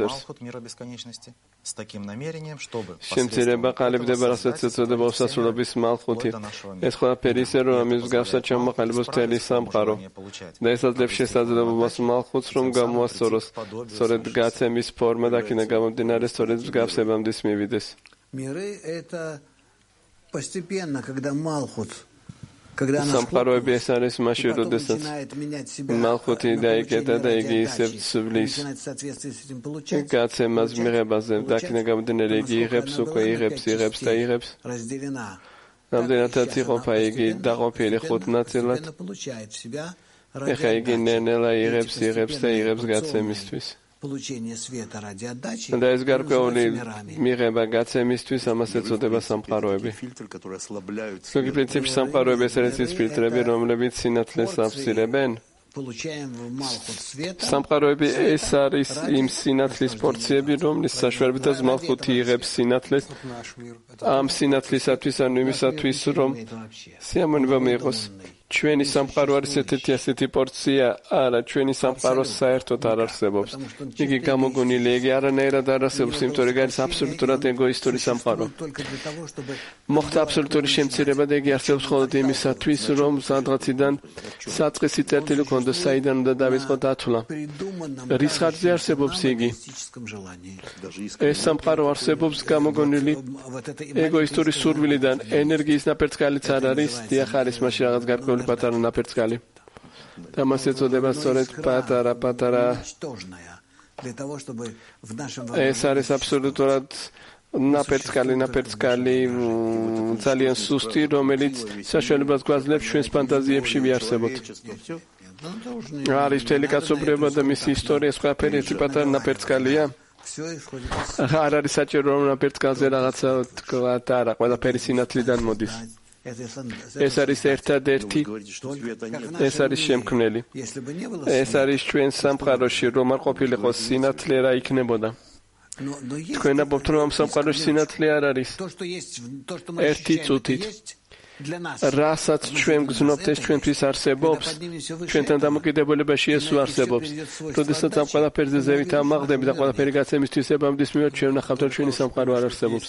Малхут мира бесконечности с таким намерением, чтобы შემცირება ყალიბდება, რასაც ეწოდება უსასრულობის მალხუთი. ეს ყველაფერი ისე, რომ ამის მსგავსად ჩამოყალიბოს მთელი სამყარო და ეს აძლევს შესაძლებლობას მალხუთს, რომ გამოასწოროს სწორედ გაცემის ფორმა და აქედან გამომდინარე სწორედ მსგავსებამდე მივიდეს. Миры это постепенно, когда Малхут სამყაროები ეს არის მაშინ, როდესაც მალხუთი დაიკეტა და იგი ისევ ცვლის გაცემას მიღებაზე და აქედან გამომდინარე იგი იღებს, უკვე იღებს, იღებს და იღებს. რამდენადაც იყოფა იგი დაყოფილი ხუთ ნაწილად, ეხლა იგი ნელ-ნელა იღებს, იღებს და იღებს გაცემისთვის. და ეს გარკვეული მიღება გაცემისთვის, ამას ეწოდება სამყაროები. ზოგი პრინციპში სამყაროები ეს არის ის ფილტრები, რომლებიც სინათლეს აფსირებენ. სამყაროები ეს არის იმ სინათლის პორციები, რომლის საშუალებითაც მალხუთი იღებს სინათლეს ამ სინათლისათვის, ანუ იმისათვის, რომ სიამოვნება მიიღოს. ჩვენი სამყარო არის ერთ-ერთი ასეთი პორცია, არა, ჩვენი სამყარო საერთოდ არ არსებობს. იგი გამოგონილი, იგი არანაირად არ არსებობს, იმიტომ რომ არის აბსოლუტურად ეგოისტური სამყარო. მოხდა აბსოლუტური შემცირება და იგი არსებობს მხოლოდ იმისათვის, რომ სადღაციდან საწყისი წერტილი ქონდეს, საიდან უნდა დავიწყო დათვლა. რის ხარჯზე არსებობს იგი? ეს სამყარო არსებობს გამოგონილი ეგოისტური სურვილიდან, ენერგიის ნაპერწკალიც არ არის, დიახ არის მაშინ რაღაც გარკვეული პატარა ნაპერწკალი. და მას ეწოდება სწორედ პატარა პატარა. ეს არის აბსოლუტურად ნაპერწკალი, ნაპერწკალი ძალიან სუსტი, რომელიც საშუალებას გვაძლევს ჩვენს ფანტაზიებში ვიარსებოთ. არის მთელი კაცობრიობა და მისი ისტორია სხვაფერი ერთი პატარა ნაპერწკალია. არ არის საჭირო რომ ნაპერწკალზე რაღაცა თქვა და არა, ყველაფერი სინათლიდან მოდის. ეს არის ერთადერთი, ეს არის შემქმნელი. ეს არის ჩვენ სამყაროში, რომ არ ყოფილიყო სინათლე, რა იქნებოდა. თქვენ ამბობთ, რომ ამ სამყაროში სინათლე არ არის. ერთი წუთით. რასაც ჩვენ გზნობთ, ეს ჩვენთვის არსებობს, ჩვენთან დამოკიდებულებაში ეს არსებობს. როდესაც ამ ყველაფერზე ზევით ამაღლდები და ყველაფერი გაცემის თვისებამდის მიმართ ჩვენ ვნახავთ, რომ ჩვენი სამყარო არ არსებობს.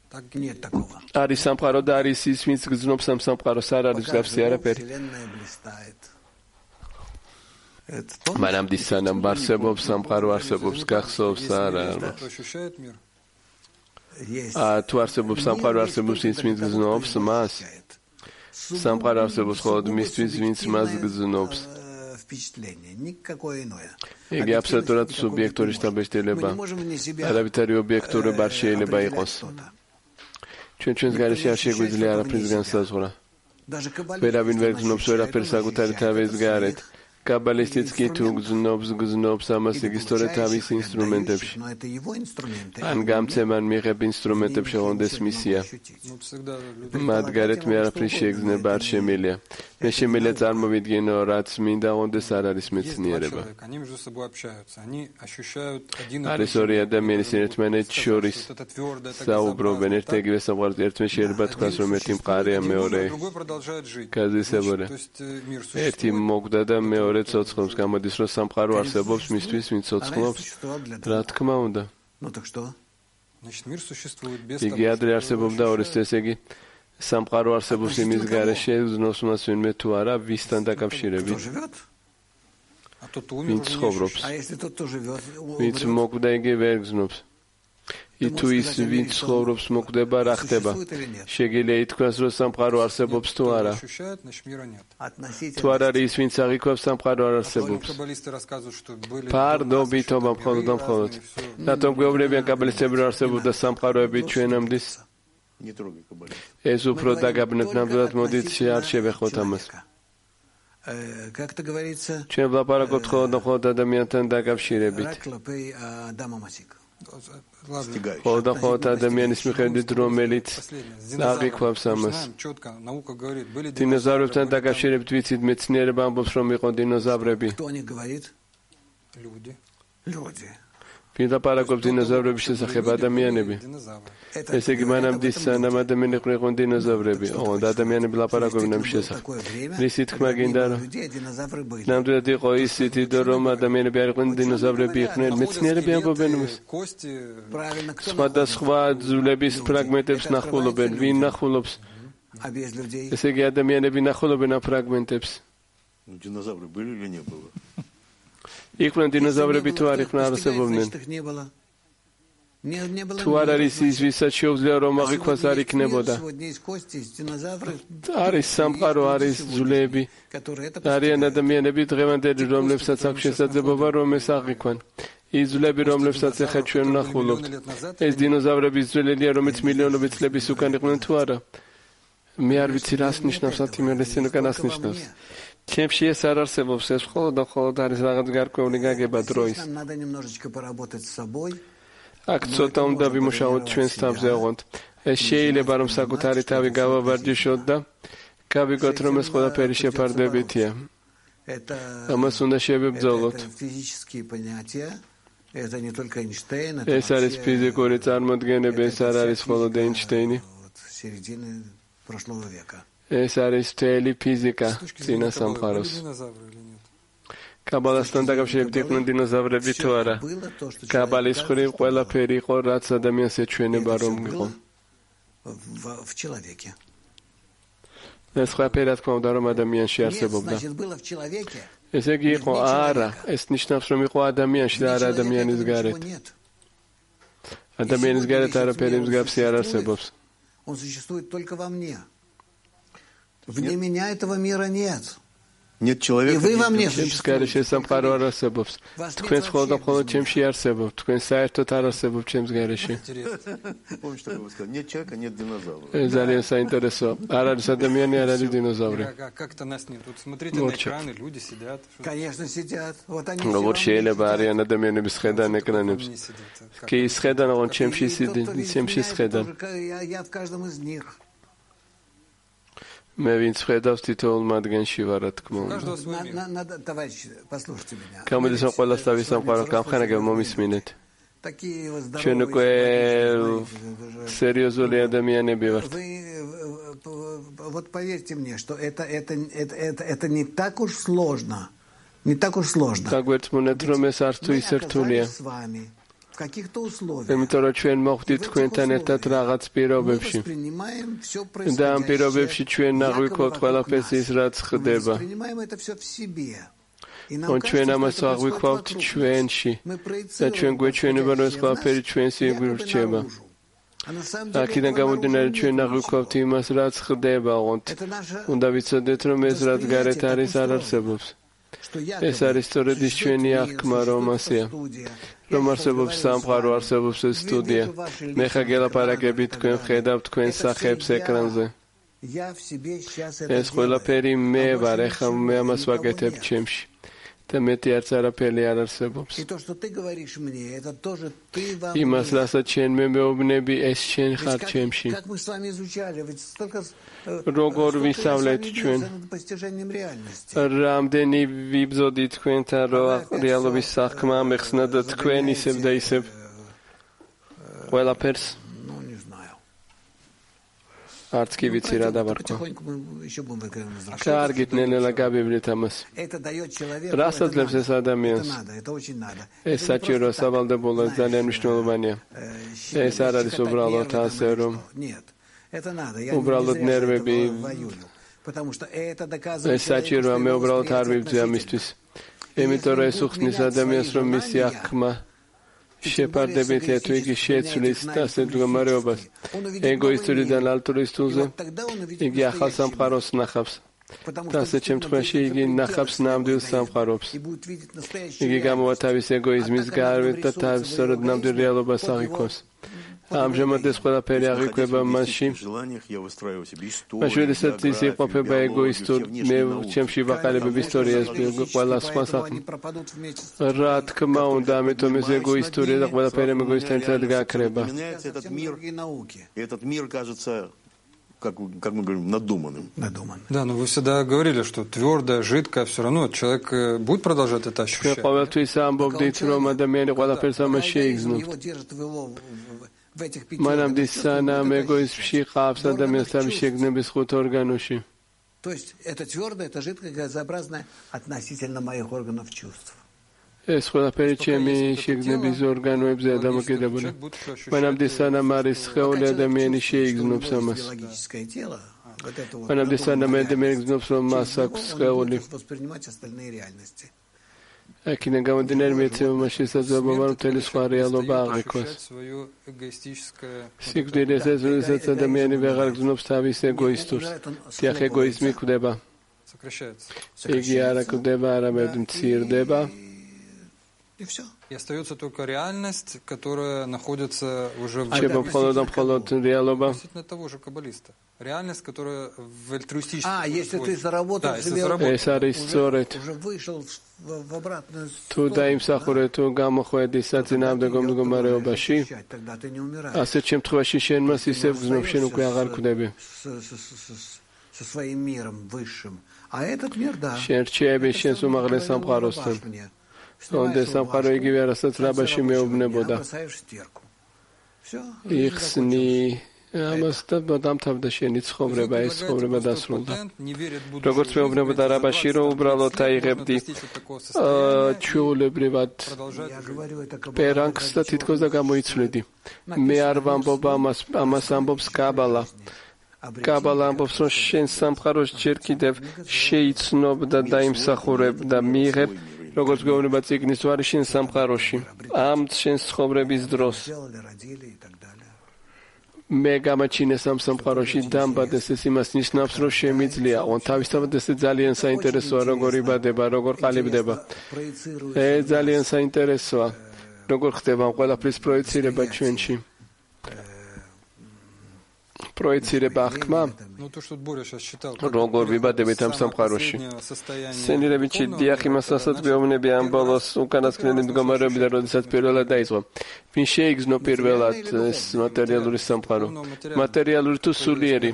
არის სამყარო და არის ის, ვინც გზნობს ამ სამყაროს, არ არის მსგავსი არაფერი. მანამდე სანამ არსებობს სამყარო არსებობს, გახსოვს არა. თუ არსებობს სამყარო არსებობს ის, ვინც გზნობს მას. სამყარო არსებობს მხოლოდ მისთვის, ვინც მას გზნობს. იგი აბსოლუტურად სუბიექტური შთაბეჭდილება. არავითარი ობიექტურობა არ შეიძლება იყოს. ჩვენ ჩვენს გარეშე არ შეგვიძლია არაფრის განსაზღვრა. ვერავინ ვერ გზნობს ვერაფერს საკუთარი თავის გარეთ. კაბალისტიც კი თუ გზნობს, გზნობს ამას იგი სწორედ თავის ინსტრუმენტებში. ან გამცემან მიიღებ ინსტრუმენტებში ღონდეს მისია. მათ გარეთ მე არაფრის შეგრძნება არ შემიძლია. მე შემიძლია წარმოვიდგინო, რაც მინდა ღონდეს არ არის მეცნიერება. არის ორი ადამიანის ერთმანეთს შორის საუბრობენ, ერთ იგივე სამყაროზე, ერთმე შეიძლება თქვას, რომ ერთი მყარია, მეორე გაზისებურა. ერთი მოკვდა და მეორე ცოცხლობს, გამოდის, რომ სამყარო არსებობს მისთვის, ვინც ცოცხლობს. რა თქმა უნდა. იგი ადრე არსებობდა ორის, ესე იგი სამყარო არსებობს იმის გარეშე, გზნობს მას ვინმე თუ არა, ვისთან დაკავშირებით. ვინც ცხოვრობს. ვინც მოკვდა, იგი ვერ გზნობს. თუ ის ვინც ცხოვრობს მოკვდება, რა ხდება? შეგიძლია ითქვას, რომ სამყარო არსებობს თუ არა. თუ არ არის ის, ვინც აღიქვამს, სამყარო არ არსებობს. ფარდობითობა მხოლოდ და მხოლოდ. რატომ გვეუბნებიან კაბალისტები, რომ არსებობდა სამყაროები ჩვენამდე? ეს უფრო დაგაბნეთ, ნამდვილად მოდით არ შევეხოთ ამას. ჩვენ ვლაპარაკობთ მხოლოდ და მხოლოდ ადამიანთან დაკავშირებით. მხოლოდ და მხოლოდ ადამიანის მიხედვით, რომელიც აღიქვამს ამას. დინოზავრებთან დაკავშირებით ვიცით, მეცნიერება ამბობს, რომ იყო დინოზავრები. ვინ ლაპარაკობს დინოზავრების შესახებ? ადამიანები. ესე იგი მანამდე სანამ ადამიანები იყვნენ დინოზავრები, ოღონდ ადამიანები ლაპარაკობენ ამ შესახებ. რისი თქმა გინდა, რომ ნამდვილად იყო ისეთი, რომ ადამიანები არ იყვნენ დინოზავრები იყვნენ, მეცნიერები ამბობენ ამას. სხვადასხვა ძვლების ფრაგმენტებს ნახულობენ. ვინ ნახულობს? ესე იგი ადამიანები ნახულობენ ამ ფრაგმენტებს. იყვნენ დინოზავრები თუ არ იყვნენ არსებობდნენ. თუ არ არის ის, ვისაც შეუძლია რომ აღიქვას, არ იქნებოდა. არის სამყარო, არის ძვლები, არიან ადამიანები დღევანდელი, რომლებსაც აქვს შესაძლებლობა რომ ეს აღიქვან. ის ძვლები, რომლებსაც ახლა ჩვენ ვნახულობთ, ეს დინოზავრების ძვლელია, რომელიც მილიონობით წლების უკან იყვნენ თუ არა? მე არ ვიცი რას ნიშნავს ათიმერესენ უკან რას ნიშნავს. ჩემში ეს არ არსებობს, ეს მხოლოდ და მხოლოდ არის რაღაც გარკვეული გაგება დროის. აქ ცოტა უნდა ვიმუშაოთ ჩვენს თავზე ოღონდ. ეს შეიძლება რომ საკუთარი თავი გავავარჯიშოთ და გავიგოთ რომ ეს ყველაფერი შეფარდებითია. ამას უნდა შევებრძოლოთ. ეს არის ფიზიკური წარმოდგენები, ეს არ არის მხოლოდ ეინშტეინი. ეს არის მთელი ფიზიკა წინა სამყაროს. კაბალასთან დაკავშირებით იყვნენ დინოზავრები თუ არა? კაბალის მხრივ ყველაფერი იყო, რაც ადამიანს ეჩვენება რომ იყო. ეს ყველაფერი რა თქმა უნდა რომ ადამიანში არსებობდა. ესე იგი იყო არა, ეს ნიშნავს რომ იყო ადამიანში და არა ადამიანის გარეთ. ადამიანის გარეთ არაფერი მსგავსი არ არსებობს. Он существует только во мне. Вне меня этого мира нет. Нет человека. И вы во мне существуете. სამყარო არ არსებობს. თქვენ მხოლოდ და მხოლოდ ჩემში არსებობთ. თქვენ საერთოდ არ არსებობთ ჩემს გარეშე. Помнишь, что вы сказали? Нет человека, нет динозавра. ძალიან საინტერესო. არ არის ადამიანი, არ არის დინოზავრი. Как-то нас нет. Вот смотрите на экраны, люди сидят. Конечно, сидят. Вот они. როგორ შეიძლება არიან ადამიანების ხედან ეკრანებს? კი ისხედან, ოღონდ ჩემში სიდი, ჩემში სხედან. Я в каждом из них. მე ვინც ხედავს თითოეულ მათგანში ვარ, რა თქმა უნდა. გამოდის რომ ყველას თავის სამყარო გამხანაგებ მომისმინეთ. ჩვენ უკვე სერიოზული ადამიანები ვართ. Вот поверьте мне, что это это это это не так уж сложно. Не так уж сложно. გაგვერწმუნეთ რომ ეს არ თუ ისე რთულია. იმიტომ რომ ჩვენ მოხვდით თქვენთან ერთად რაღაც პირობებში. და ამ პირობებში ჩვენ აღვიქვავთ ყველაფერს ის, რაც ხდება. ჩვენ ამას აღვიქვავთ ჩვენში. და ჩვენ გვეჩვენება, რომ ეს ყველაფერი ჩვენს ირჩება. აქედან გამომდინარე ჩვენ აღვიქვავთ იმას, რაც ხდება, ოღონდ უნდა ვიცოდეთ, რომ ეს რაც გარეთ არის, არ არსებობს. ეს არის სწორედ ის ჩვენი აღქმა, რომ ასეა. რომ არსებობს სამყარო, არსებობს ეს სტუდია. მე ხა გელაპარაკებით, თქვენ ხედავთ თქვენ სახებს ეკრანზე. ეს ყველაფერი მე ვარ, ეხლა მე ამას ვაკეთებ ჩემში. და მეტი არც არაფერი არ არსებობს. იმას, რასაც შენ მე მეუბნები, ეს შენ ხარ ჩემში. როგორ ვისწავლეთ ჩვენ? რამდენი ვიბრძოდით თქვენთან, რომ რეალობის საქმე ამეხსნა და თქვენ ისევ და ისევ ყველაფერს არც კი ვიცი რა დავარქვა. კარგით, ნელ-ნელა გავივლით ამას. რას აძლევს ეს ადამიანს? ეს საჭიროა, სავალდებულო, ძალიან მნიშვნელოვანია. ეს არ არის უბრალოდ ასე, რომ უბრალოდ ნერვები. ეს საჭიროა, მე უბრალოდ არ ვიბრძვი ამისთვის. იმიტომ რომ ეს უხსნის ადამიანს, რომ მისი აღქმა შეფარდებით თუ იგი შეცვლის ასეთ მდგომარეობას ეგოისტურიდან ალტურისტულზე, იგი ახალ სამყაროს ნახავს. და ასეთ შემთხვევაში იგი ნახავს ნამდვილ სამყაროს. იგი გამოვა თავის ეგოიზმის გარეთ და თავის სწორედ ნამდვილ რეალობას აღიქვავს. ამჟამად ეს ყველაფერი აღიქვება მასში. მაშინ როდესაც ის იყოფება ეგოისტურ, მე ჩემში ვაყალიბებ ისტორიას ყველა სხვა საქმე. რა თქმა უნდა, ამიტომ ეს ეგოისტური და ყველაფერი ეგოისტთან ერთად გაქრება. Этот мир кажется, как, как мы говорим, надуманным. Надуманным. Да, но вы всегда говорили, что твердое, жидкое, все равно человек будет продолжать это ощущать. ყოველთვის ამბობდით, რომ ადამიანი ყველაფერს ამას შეიგრძნობს. მანამდე სანამ ეგოიზმში ყავს ადამიანს თავის შეგნების ხუთ ორგანოში. То есть это твердое, это жидкое, газообразное относительно моих органов чувств. ეს ყველაფერი ჩემი შეგნების ორგანოებზეა დამოკიდებული. მანამდე სანამ არის სხეული, ადამიანი შეიგრძნობს ამას. მანამდე სანამ ადამიანი იგრძნობს, რომ მას აქვს სხეული. აქედან გამომდინარე მეცემა შესაძლებლობა რომ მთელი სხვა რეალობა აღიქვას. სიკვდილის ეს როდესაც ადამიანი ვეღარ გრძნობს თავის ეგოისტურს, თიახ ეგოიზმი კვდება. იგი არ კვდება, არამედ მცირდება. И остается только реальность, которая находится уже в относительно того же каббалиста. Реальность, которая в альтруистическом. А, если ты заработал да, себе заработал, уже, уже вышел в, в обратную сторону. Тогда ты не умираешь. Со своим миром высшим. А этот мир, да. Онде სამყარო იგივე, რასაც რაბაში მეუბნებოდა. იხსნი ამას დამთავრდა შენი ცხოვრება, ეს ცხოვრება დასრულდა. როგორც მეუბნებოდა რაბაში, რომ უბრალოდ აიღებდი ჩვეულებრივად პერანგს და თითქოს და გამოიცვლიდი. მე არ ვამბობ ამას, ამას ამბობს კაბალა. კაბალა ამბობს, რომ შენ სამყაროს ჯერ კიდევ შეიცნობ და დაიმსახურებ და მიიღებ, როგორც გვეუბნება წიგნის ვარი შენ სამყაროში, ამ შენს ცხოვრების დროს. მე გამაჩინეს ამ სამყაროში დამბადეს, ეს იმას ნიშნავს, რომ შემიძლია. თავისთავად ეს ძალიან საინტერესოა, როგორ იბადება, როგორ ყალიბდება. ეს ძალიან საინტერესოა, როგორ ხდება ამ ყველაფრის პროექცირება ჩვენში. პროექცირება აღქმა, როგორ ვიბადებით ამ სამყაროში. სენირებიჩი დიახ იმას, რასაც გვეუბნები ამ ბოლოს უკანასკნელი მდგომარეობიდან, როდესაც პირველად დაიწყო. ვინ შეიგრძნო პირველად ეს მატერიალური სამყარო? მატერიალური თუ სულიერი?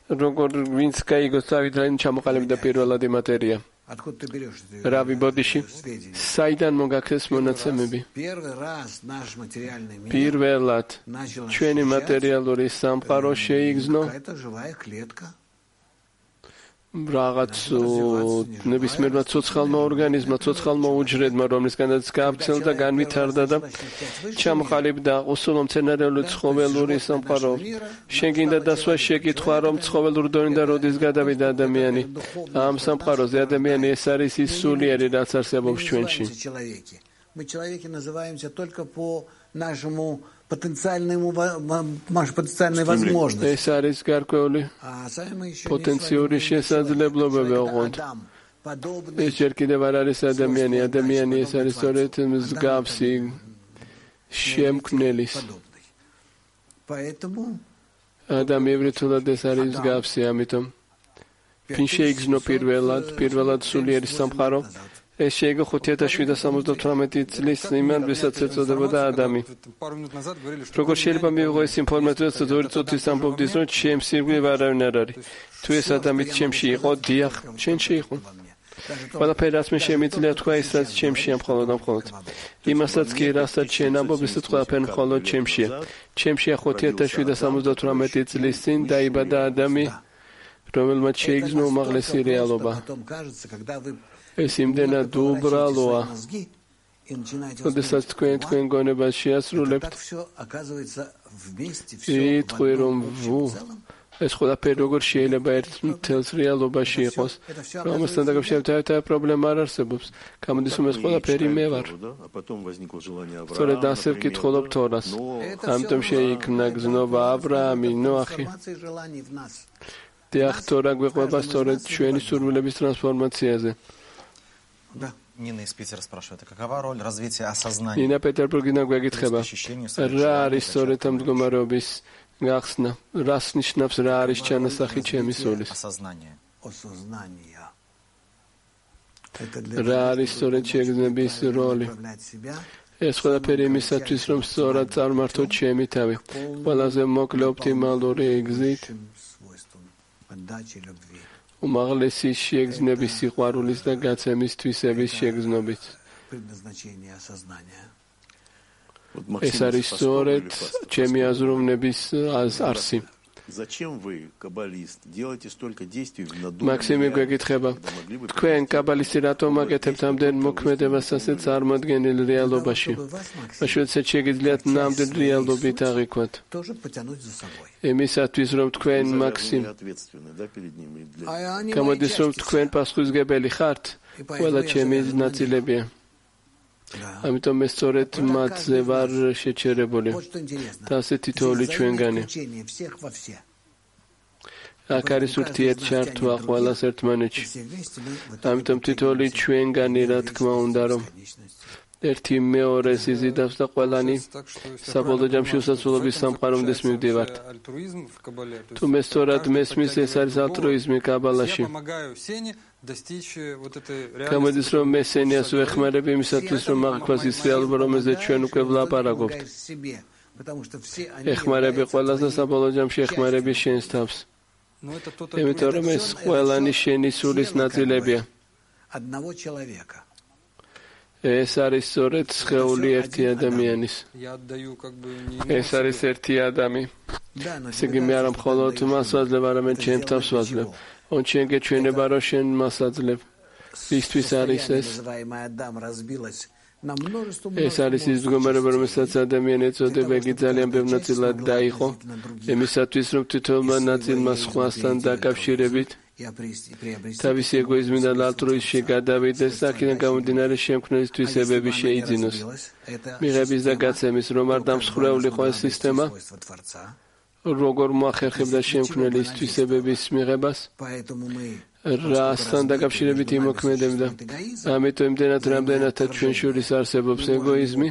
როგორ ვინც გაიგოს თავით რაიმ ჩამოყალიბდა პირველადი მატერია? რავი ბოდიში, საიდან მოგაქცეს მონაცემები? პირველად ჩვენი მატერიალური სამყარო შეიგრძნო რაღაც ნებისმიერმა ცოცხალმა ორგანიზმმა, ცოცხალმა უჯრედმა, რომლისგანაც გავრცელდა, განვითარდა და ჩამოყალიბდა უსულო მცენარეული ცხოველური სამყარო. შენ გინდა დასვა შეკითხვა, რომ ცხოველურ დონიდან როდის გადავიდა ადამიანი? ამ სამყაროზე ადამიანი ეს არის ის სულიერი, რაც არსებობს ჩვენში. ეს არის გარკვეული პოტენციური შესაძლებლობები ოღონდ. ეს ჯერ კიდევ არ არის ადამიანი. ადამიანი ეს არის სწორედ მსგავსი შემქმნელის. ადამიანური თულად ეს არის მსგავსი, ამიტომ ვინ შეიგრძნო პირველად, პირველად სულიერი სამყარო? ეს შეიგო ხუთი ათას შვიდ სამოცდათვრამეტი წლის იმან, ვისაც ეწოდებოდა ადამი. როგორ შეიძლება მივიღო ეს ინფორმაცია, რაც ორი წუთის ამბობდის, რომ ჩემს ირგვლივ არავინ არ არის. თუ ეს ადამი ჩემში იყო, დიახ, შენში იყო. ყველაფერი რაც მე შემიძლია თქვა, ის რაც ჩემშია მხოლოდ და მხოლოდ. იმასაც კი, რასაც შენ ამბობ, ისიც ყველაფერი მხოლოდ ჩემშია. ჩემშია ხუთი ათას შვიდ სამოცდათვრამეტი წლის წინ დაიბადა ადამი, რომელმაც შეიგრძნო უმაღლესი რეალობა. ეს იმდენად უბრალოა, როდესაც თქვენ თქვენ გონებას შეასრულებთ, იტყვი რომ ვუ, ეს ყველაფერი როგორ შეიძლება ერთ მთელს რეალობაში იყოს, რომელსთან დაკავშირებით აი პრობლემა არ არსებობს. გამოდის რომ ეს ყველაფერი მე ვარ. სწორედ ასე ვკითხულობ თორას. ამიტომ შეიქმნა გზნობა აბრაამი, ნოახი. დიახ, თორა გვეყვება სწორედ ჩვენი სურვილების ტრანსფორმაციაზე. Нина из Питера спрашивает, какова роль развития осознания? Нина Петербургიდან გვეკითხება, რა არის სწორედ ამ მდგომარეობის გახსნა? რას ნიშნავს რა არის ჩანასახი ჩემი სულის? რა არის სწორედ შეგრძნების როლი? ეს ყველაფერი იმისათვის, რომ სწორად წარმართო ჩემი თავი, ყველაზე მოკლე ოპტიმალური გზით. უმაღლესი შეგრძნების სიყვარულის და გაცემის თვისების შეგრძნობით. ეს არის სწორედ ჩემი აზროვნების არსი. მაქსიმი გვეკითხება, თქვენ კაბალისტი რატომ აკეთებთ ამდენ მოქმედებას ასეთ წარმოდგენილ რეალობაში? მაშინ შეგიძლიათ ნამდვილ რეალობით აღიქვათ. იმისათვის, რომ თქვენ მაქსიმ გამოდის, რომ თქვენ პასუხისმგებელი ხართ, ყველა ჩემი ნაწილებია. ამიტომ მე სწორედ მათზე ვარ შეჩერებული და ასე თითოეული ჩვენგანი. აქ არის ურთიერთჩართვა ყველას ერთმანეთში. ამიტომ თითოეული ჩვენგანი, რა თქმა უნდა, რომ ერთი მეორეს იზიდავს და ყველანი საბოლოო ჯამში უსასრულობის სამყარომდეს მივდივართ. თუ მე სწორად მესმის, ეს არის ალტრუიზმი კაბალაში. გამოდის, რომ მე სენიას ვეხმარებ იმისათვის, რომ აღიქვას ის რეალობა, რომელზეც ჩვენ უკვე ვლაპარაკობთ. ეხმარები ყველას და საბოლოო ჯამში ეხმარები შენს თავს. იმიტომ რომ ეს ყველანი შენი სულის ნაწილებია. ეს არის სწორედ სხეული ერთი ადამიანის. ეს არის ერთი ადამი. ესე იგი მე არა მხოლოდ მას ვაძლევ, არამედ ჩემ თავს ვაძლევ. ონ შენ გეჩვენება, რომ შენ მას აძლევ. ისთვის არის ეს. ეს არის ის მდგომარეობა, რომელსაც ადამიანი ეწოდება, იგი ძალიან ბევრ ნაწილად დაიყო, იმისათვის, რომ თითოეულმა ნაწილმა სხვასთან დაკავშირებით თავისი ეგოიზმიდან ალტრუიზმში გადავიდეს და აქედან გამომდინარე შემქმნელის თვისებები შეიძინოს. მიღების და გაცემის, რომ არ დამსხვრეულიყო ეს სისტემა, როგორ მოახერხებდა შემქმნელის თვისებების მიღებას, რასთან დაკავშირებით იმოქმედებდა. ამიტომ იმდენად რამდენადაც ჩვენ შორის არსებობს ეგოიზმი,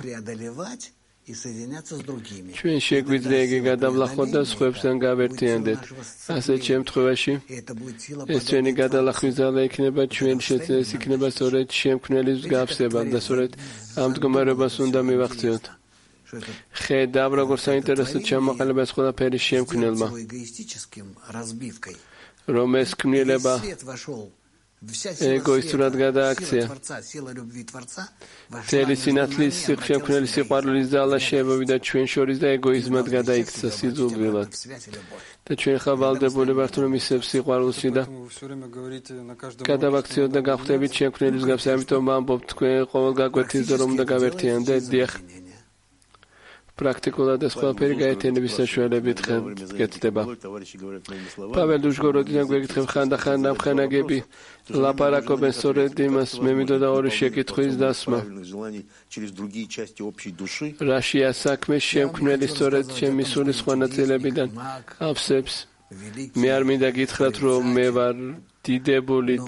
ჩვენ შეგვიძლია იგი გადავლახოთ და სხვებთან გავერთიანდეთ. ასეთ შემთხვევაში ეს ჩვენი გადალახვის ძალა იქნება, ჩვენ ეს იქნება სწორედ შემქმნელის მსგავსება და სწორედ ამ მდგომარეობას უნდა მივახციოთ. ხედავ, როგორ საინტერესოდ ჩამოყალიბდა ეს ყველაფერი შემქმნელმა, რომ ეს ქმნილება ეგოისტურად გადააქცია. მთელი სინათლის შემქმნელის სიყვარულის ძალა შემოვიდა ჩვენ შორის და ეგოიზმად გადაიქცა სიძულვილად. და ჩვენ ხა ვალდებული ვართ, რომ ისევ სიყვარულში და გადავაქციოთ და გავხდებით შემქმნელის მსგავსი. ამიტომ ვამბობ, თქვენ ყოველ გაკვეთილს და რომ უნდა გავერთიანდეთ. დიახ, პრაქტიკულად ეს ყველაფერი გაერთიანების საშუალებით გეცდება. პაվել დუშგოროდიდან გვეკითხებ, ხანდახან ამხანაგები ლაპარაკობენ სწორედ იმას, მე მინდოდა ორი შეკითხვის დასმა. რაშია საქმე შემქმნელი სწორედ ჩემი სულის სხვა ნაწილებიდან ავსებს. მე არ მინდა გითხრათ, რომ მე ვარ დიდებული.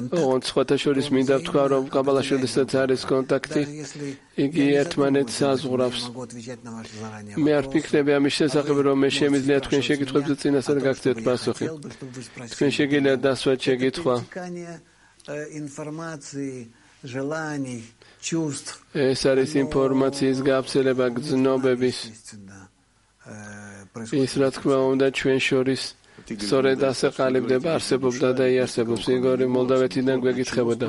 ოღონდ სხვათა შორის მინდა ვთქვა, რომ კაბალაში როდესაც არის კონტაქტი, იგი ერთმანეთს აზღვრავს. მე არ ვფიქრები ამის შესახებ, რომ მე შემიძლია თქვენ შეკითხვებზე წინასწარ გაგცეთ პასუხი. თქვენ შეგიძლიათ დასვათ შეკითხვა. ეს არის ინფორმაციის გავრცელება, გრძნობების. ის რა თქმა უნდა ჩვენ შორის სწორედ ასე ყალიბდება, არსებობდა და იარსებობს. იგორი მოლდავეთიდან გვეკითხებოდა,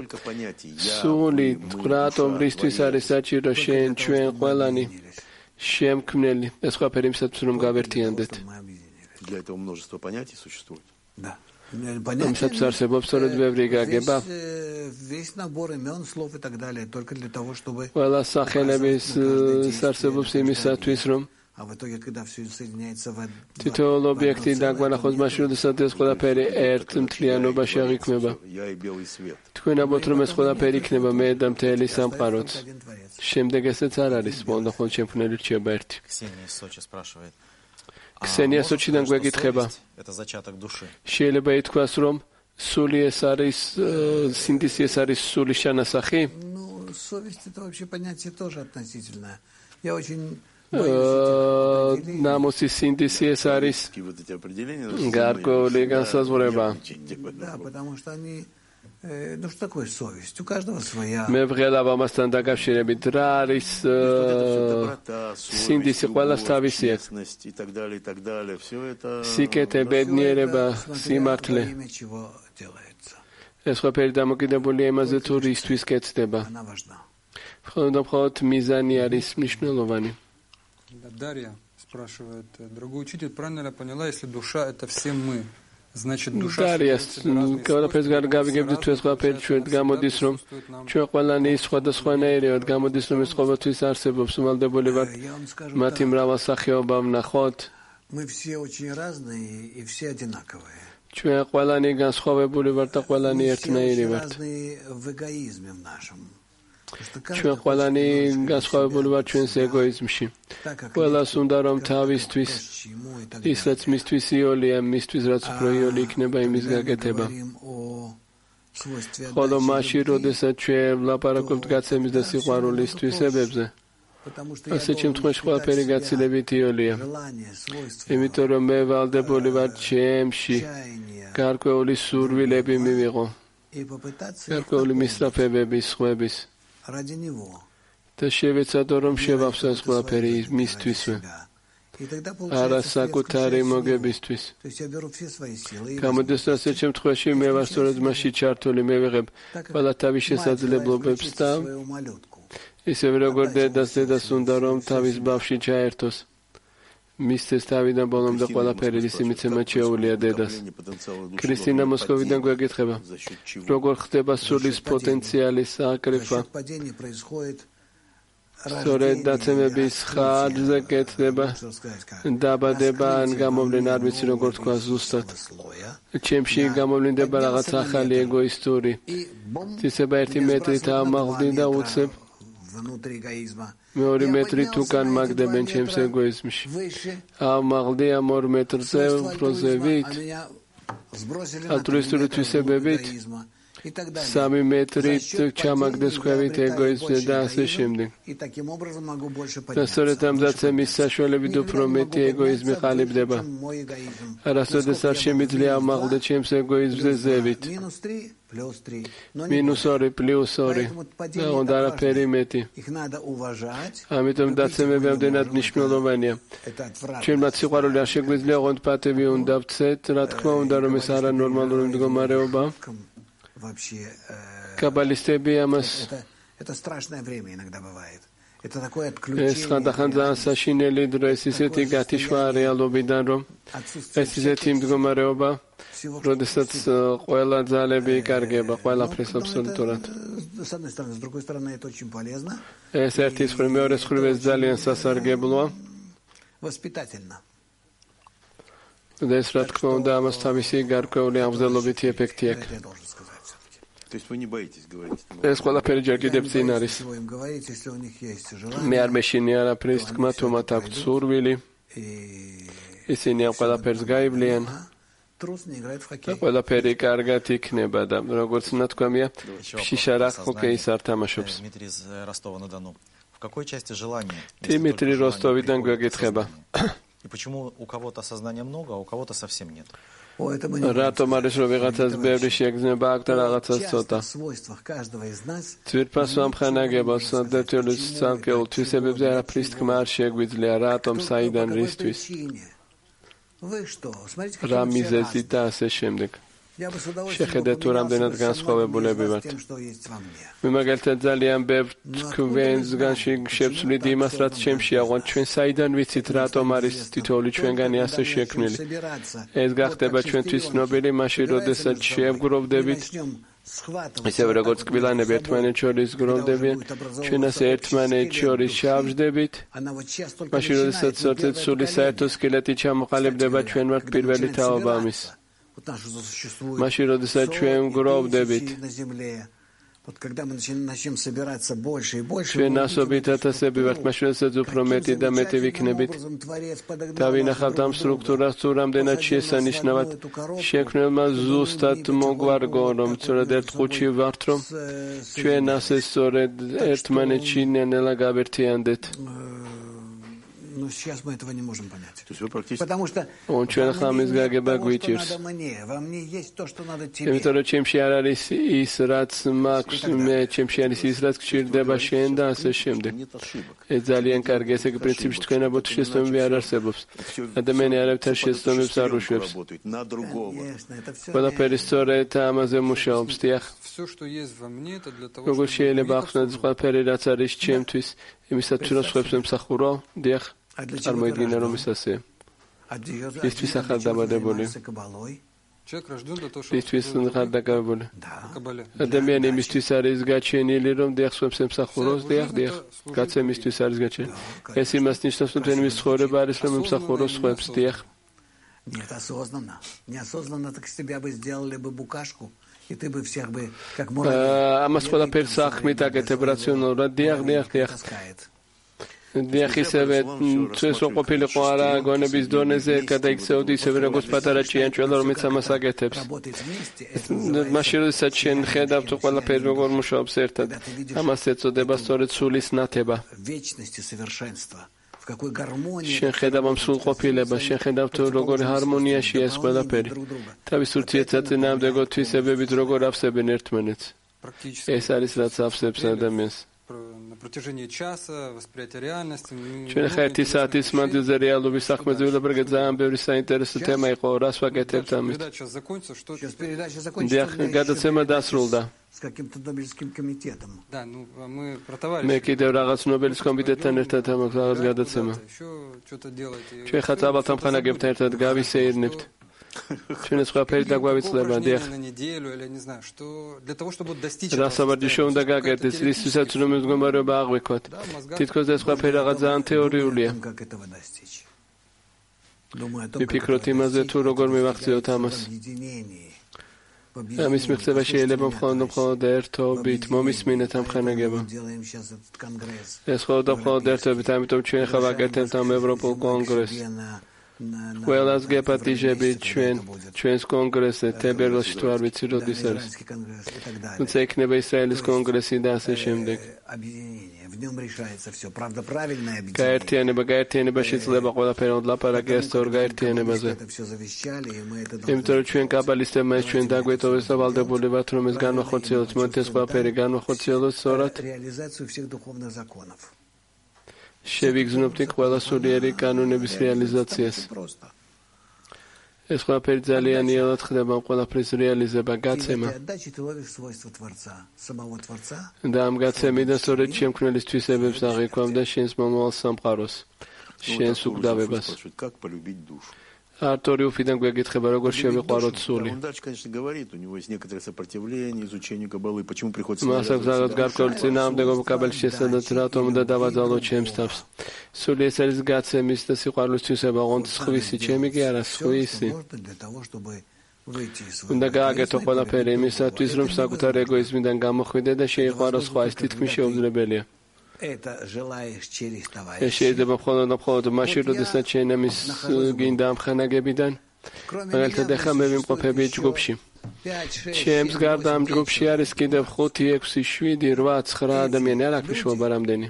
სული რატომ რისთვის არის საჭირო შენ ჩვენ ყველანი შემქმნელი, ეს ყველაფერი იმისათვის, რომ გავერთიანდეთ. იმისათვის არსებობს სწორედ ბევრი გაგება. ყველა სახელების არსებობს იმისათვის, რომ თითოეულ ობიექტი დაგვანახოს მაშინ, როდესაც ეს ყველაფერი ერთ მთლიანობაში აღიქმება. თქვენ ამბობთ, რომ ეს ყველაფერი იქნება მე და მთელი სამყაროც. შემდეგ ესეც არ არის, მხოლოდ ხოლმე შემქმნელი რჩება ერთი. ქსენია სოჩიდან გვეკითხება, შეიძლება ითქვას, რომ სული ეს არის, სინდისი ეს არის სულის ჩანასახი? ნამოსის სინდისი ეს არის გარკვეული განსაზღვრება. მე ვღელავ ამასთან დაკავშირებით, რა არის სინდისი, ყველას თავისი აქვს. სიკეთე, ბედნიერება, სიმართლე. ეს ყველაფერი დამოკიდებულია იმაზე, თუ რისთვის კეთდება. მხოლოდ და მხოლოდ მიზანი არის მნიშვნელოვანი. Дарья спрашивает, дорогой учитель, правильно ли я поняла, если душа это все мы, значит душа... Дарья, ყველაფერს გავიგებთ, თუ ეს ყველაფერი ჩვენ გამოდის, რომ ჩვენ ყველანი სხვადასხვანაირი ვართ, გამოდის, რომ ეს ყოველთვის არსებობს, ვალდებული ვართ მათი მრავალსახეობა ვნახოთ. ჩვენ ყველანი განსხვავებული ვართ და ყველანი ერთნაირი ვართ. ჩვენ ყველანი განსხვავებული ვართ ჩვენს ეგოიზმში. ყველას უნდა რომ თავისთვის, ის რაც მისთვის იოლია, მისთვის რაც უფრო იოლი იქნება, იმის გაკეთება. ხოლო მაშინ, როდესაც ჩვენ ვლაპარაკობთ გაცემის და სიყვარულის თვისებებზე, ასეთ შემთხვევაში ყველაფერი გაცილებით იოლია. იმიტომ რომ მე ვალდებული ვარ ჩემში გარკვეული სურვილები მივიღო, გარკვეული მისწრაფებები, სხვების. და შევეცადო, რომ შევავსო ეს ყველაფერი მისთვისვე. არა საკუთარი მოგებისთვის. გამოდის რომ ასეთ შემთხვევაში მე ვარ სწორედ მასში ჩართული, მე ვიღებ ყველა თავის შესაძლებლობებს და ისევე როგორ დედას დედას უნდა რომ თავის ბავშვი ჩაერთოს. მისცეს თავიდან ბოლომდე ყველაფერი, რის იმიცემად შეუძლია დედას. ქრისტინა მოსკოვიდან გვეკითხება, როგორ ხდება სულის პოტენციალის აკრიფა? სწორედ დაცემების ხარჯზე კეთდება, დაბადება ან გამოვლენა, არ ვიცი როგორ თქვა ზუსტად. ჩემში გამოვლინდება რაღაც ახალი ეგოისტური ცისება ერთი მეტრით ამაღლდი და უცებ მეორე მეტრი თუკან მაგდებენ ჩემს ეგოიზმში. ამაღლდი ამ ორ მეტრზე უფრო ზევით, ალტრუისტული თვისებებით, სამი მეტრით ჩამაგდეს ქვევით ეგოიზმზე და ასე შემდეგ. და სწორედ ამ დაცემის საშუალებით უფრო მეტი ეგოიზმი ყალიბდება. არასოდეს არ შემიძლია ამაღლდე ჩემს ეგოიზმზე ზევით. მინუს ორი, პლუს ორი და უნდა არაფერი მეტი. ამიტომ დაცემები ამდენად მნიშვნელოვანია. ჩვენმაც სიყვარული არ შეგვიძლია, ოღონდ პატივი უნდა ვცეთ, რა თქმა უნდა, რომ ეს არანორმალური მდგომარეობა. კაბალისტები ამას ეს ხანდახან ძალიან საშინელი დრო, ეს ისეთი გათიშვა რეალობიდან, რომ ეს ისეთი მდგომარეობა, როდესაც ყველა ძალები იკარგება, ყველაფრის აბსოლუტურად. ეს ერთის მხრივ, მეორეს მხრივ ეს ძალიან სასარგებლოა. და ეს რა თქმა უნდა ამას თავისი გარკვეული აღმზრდელობითი ეფექტი აქვს. ეს ყველაფერი ჯერ კიდევ წინ არის. მე არ მეშინი არაფრის თქმა, თუ მათ აქვთ სურვილი, ისინი ამ ყველაფერს გაივლიან და ყველაფერი კარგად იქნება და როგორც ნათქვამია, შიშარა ჰოკეის არ თამაშობს. დიმიტრი როსტოვიდან გვეკითხება. И почему у кого-то сознания много, а у кого-то совсем нет? რატომ არის რომ ვიღაცას ბევრი შეგრძნება აქვს და რაღაცას ცოტა? ძვირფას ვამხანაგებელს დეტელის ცალკეულ თვისებებზე არაფრის თქმა არ შეგვიძლია, რატომ, საიდან, რისთვის? რა მიზეზით და ასე შემდეგ. შეხედეთ თუ რამდენად განსხვავებულები ვართ. მე მაგალითად ძალიან ბევრ თქვენსგან შევცვლით იმას, რაც ჩემშია, ოღონდ ჩვენ საიდან ვიცით, რატომ არის თითოეული ჩვენგანი ასე შექმნილი. ეს გახდება ჩვენთვის ცნობილი მაშინ, როდესაც შევგროვდებით, ისევე როგორც კბილანები ერთმანეთს შორის გროვდებიან, ჩვენ ასე ერთმანეთს შორის შევждებით. მაშინ, როდესაც სორტეთ სული საერთო სკელეტი ჩამოყალიბდება, ჩვენ ვართ პირველი თაობა ამის. მაშინ, როდესაც ჩვენ გროვდებით, ჩვენ ასობით ათასები ვართ, მაშინ, როდესაც უფრო მეტი და მეტი ვიქნებით და ვინახავთ ამ სტრუქტურას, თუ რამდენად შესანიშნავად შექმნელმა ზუსტად მოგვარგო, რომ სწორედ ერთ ყუთში ვართ, რომ ჩვენ ასე სწორედ ერთმანეთში ნელა გავერთიანდეთ. Но сейчас мы этого не можем понять. Потому что он ჩვენ ხამის გაგება გვიჭირს. იმიტომ რომ ჩემში არ არის ის, რაც მაქვს, მე ჩემში არის ის, რაც გჭირდება შენ და ასე შემდეგ. ეს ძალიან კარგი, ესე იგი პრინციპში თქვენ აბოთ შეცდომები არ არსებობს. ადამიანი არავითარ შეცდომებს არ უშვებს. ყველაფერი სწორედ ამაზე მუშაობს, დიახ. როგორ შეიძლება ახსნათ ყველაფერი, რაც არის ჩემთვის, იმისათვის რომ სხვებს ემსახურო, დიახ. წარმოიდგინე რომ ის ასეა. ისთვის ახალდაბადებული. ისთვის ახალდაბადებული. ადამიანი იმისთვის არის გაჩენილი, რომ დიახ სხვებს ემსახუროს, დიახ, დიახ, გაცემისთვის არის გაჩენილი. ეს იმას ნიშნავს, რომ თქვენი ცხოვრება არის, რომ ემსახუროს სხვებს, დიახ. Нет, осознанно. Неосознанно так себя бы сделали бы букашку. И ты бы всех бы как можно. ამას ყველაფერს ახმით აკეთებ რაციონალურად, დიახ, დიახ, დიახ. დიახ, ისევე ეს ყოფილიყო არა გონების დონეზე გადაიქცეოდი, ისევე როგორც პატარა ჭიანჭველა, რომელიც ამას აკეთებს. მაშინ, როდესაც შენ ხედავ თუ ყველაფერი როგორ მუშაობს ერთად, ამას ეწოდება სწორედ სულის ნათება. შენ ხედავ ამ სრულყოფილებას, შენ ხედავ თუ როგორი ჰარმონიაშია ეს ყველაფერი. თავის ურთიერთსაწინააღმდეგო თვისებებით როგორ ავსებენ ერთმანეთს. ეს არის რაც ავსებს ადამიანს. на протяжении часа восприятие реальности. ჩვენ ხა ერთი საათის მანძილზე რეალობის საქმეზე ვილაპარაკეთ, ძალიან ბევრი საინტერესო თემა იყო, რას ვაკეთებთ ამით. Передача закончится, что დიახ, გადაცემა დასრულდა. С каким-то Нобелевским комитетом. Да, ну мы про товарища. მე კიდევ რაღაც ნობელის კომიტეტთან ერთად ამაქვს რაღაც გადაცემა. Еще что-то делаете. ჩვენ ხა წაბალთან ხანაგებთან ერთად გავისეირნებთ. ჩვენს ყველაფერი დაგვავიცლება, დიახ. На неделю или не знаю, что для того, чтобы достичь. რასაბარჯიშო უნდა გაგერდეთ, რისთვისაც რომ მდგომარეობა აღვიქვათ. თითქოს ეს ყველაფერი რაღაც ძალიან თეორიულია. Как этого достичь? Думаю о том, ვიფიქროთ იმაზე, თუ როგორ მივახციოთ ამას. ამის მიღწევა შეიძლება მხოლოდ მხოლოდ ერთობით მომისმინეთ ამ ხანაგება. ეს მხოლოდ მხოლოდ ერთობით, ამიტომ ჩვენ ხა ვაკეთებთ ამ ევროპულ კონგრესს. ყველას გეპატიჟებით ჩვენ ჩვენს კონგრესზე თებერვალში თუ არ ვიცი როდის არის. თუმცა იქნება ისრაელის კონგრესი და ასე შემდეგ. გაერთიანება გაერთიანება შეიძლება ყველაფერი ლაპარაკი ეს თორ გაერთიანებაზე. იმიტომ რომ ჩვენ კაბალისტებმა ეს ჩვენ დაგვეტოვეს და ვალდებული ვართ რომ ეს განვახორციელოთ, მოდი ეს ყველაფერი განვახორციელოთ სწორად. შევიგრძნობთ ყველა სულიერი კანონების რეალიზაციას. ეს ყველაფერი ძალიან იოლად ხდება ყველაფრის რეალიზება, გაცემა. და ამ გაცემიდან სწორედ შემქმნელის თვისებებს აღიქვამ და შენს მომავალ სამყაროს, შენს უკდავებას. Артур Уфиден გვეკითხება როგორ შევიყვაროთ სული. მას აქვს რაღაც გარკვეული წინააღმდეგობა კაბელის შესადაც, რატომ უნდა დავაძალოთ ჩემს თავს. სული ეს არის გაცემის და სიყვარულის თვისება, ოღონდ სხვისი, ჩემი კი არა, სხვისი. უნდა გააკეთო ყველაფერი იმისათვის, რომ საკუთარ ეგოიზმიდან გამოხვიდე და შეიყვარო სხვა, ეს თითქმის შეუძლებელია. ეს შეიძლება მხოლოდ მხოლოდ მაშინ, როდესაც შენ ამის გინდა ამ ხანაგებიდან. მაგალითად, ახლა მე ვიმყოფები ჯგუფში. ჩემს გარდა ამ ჯგუფში არის კიდევ ხუთი, ექვსი, შვიდი, რვა, ცხრა ადამიანი, არ აქვს მნიშვნელობა რამდენი.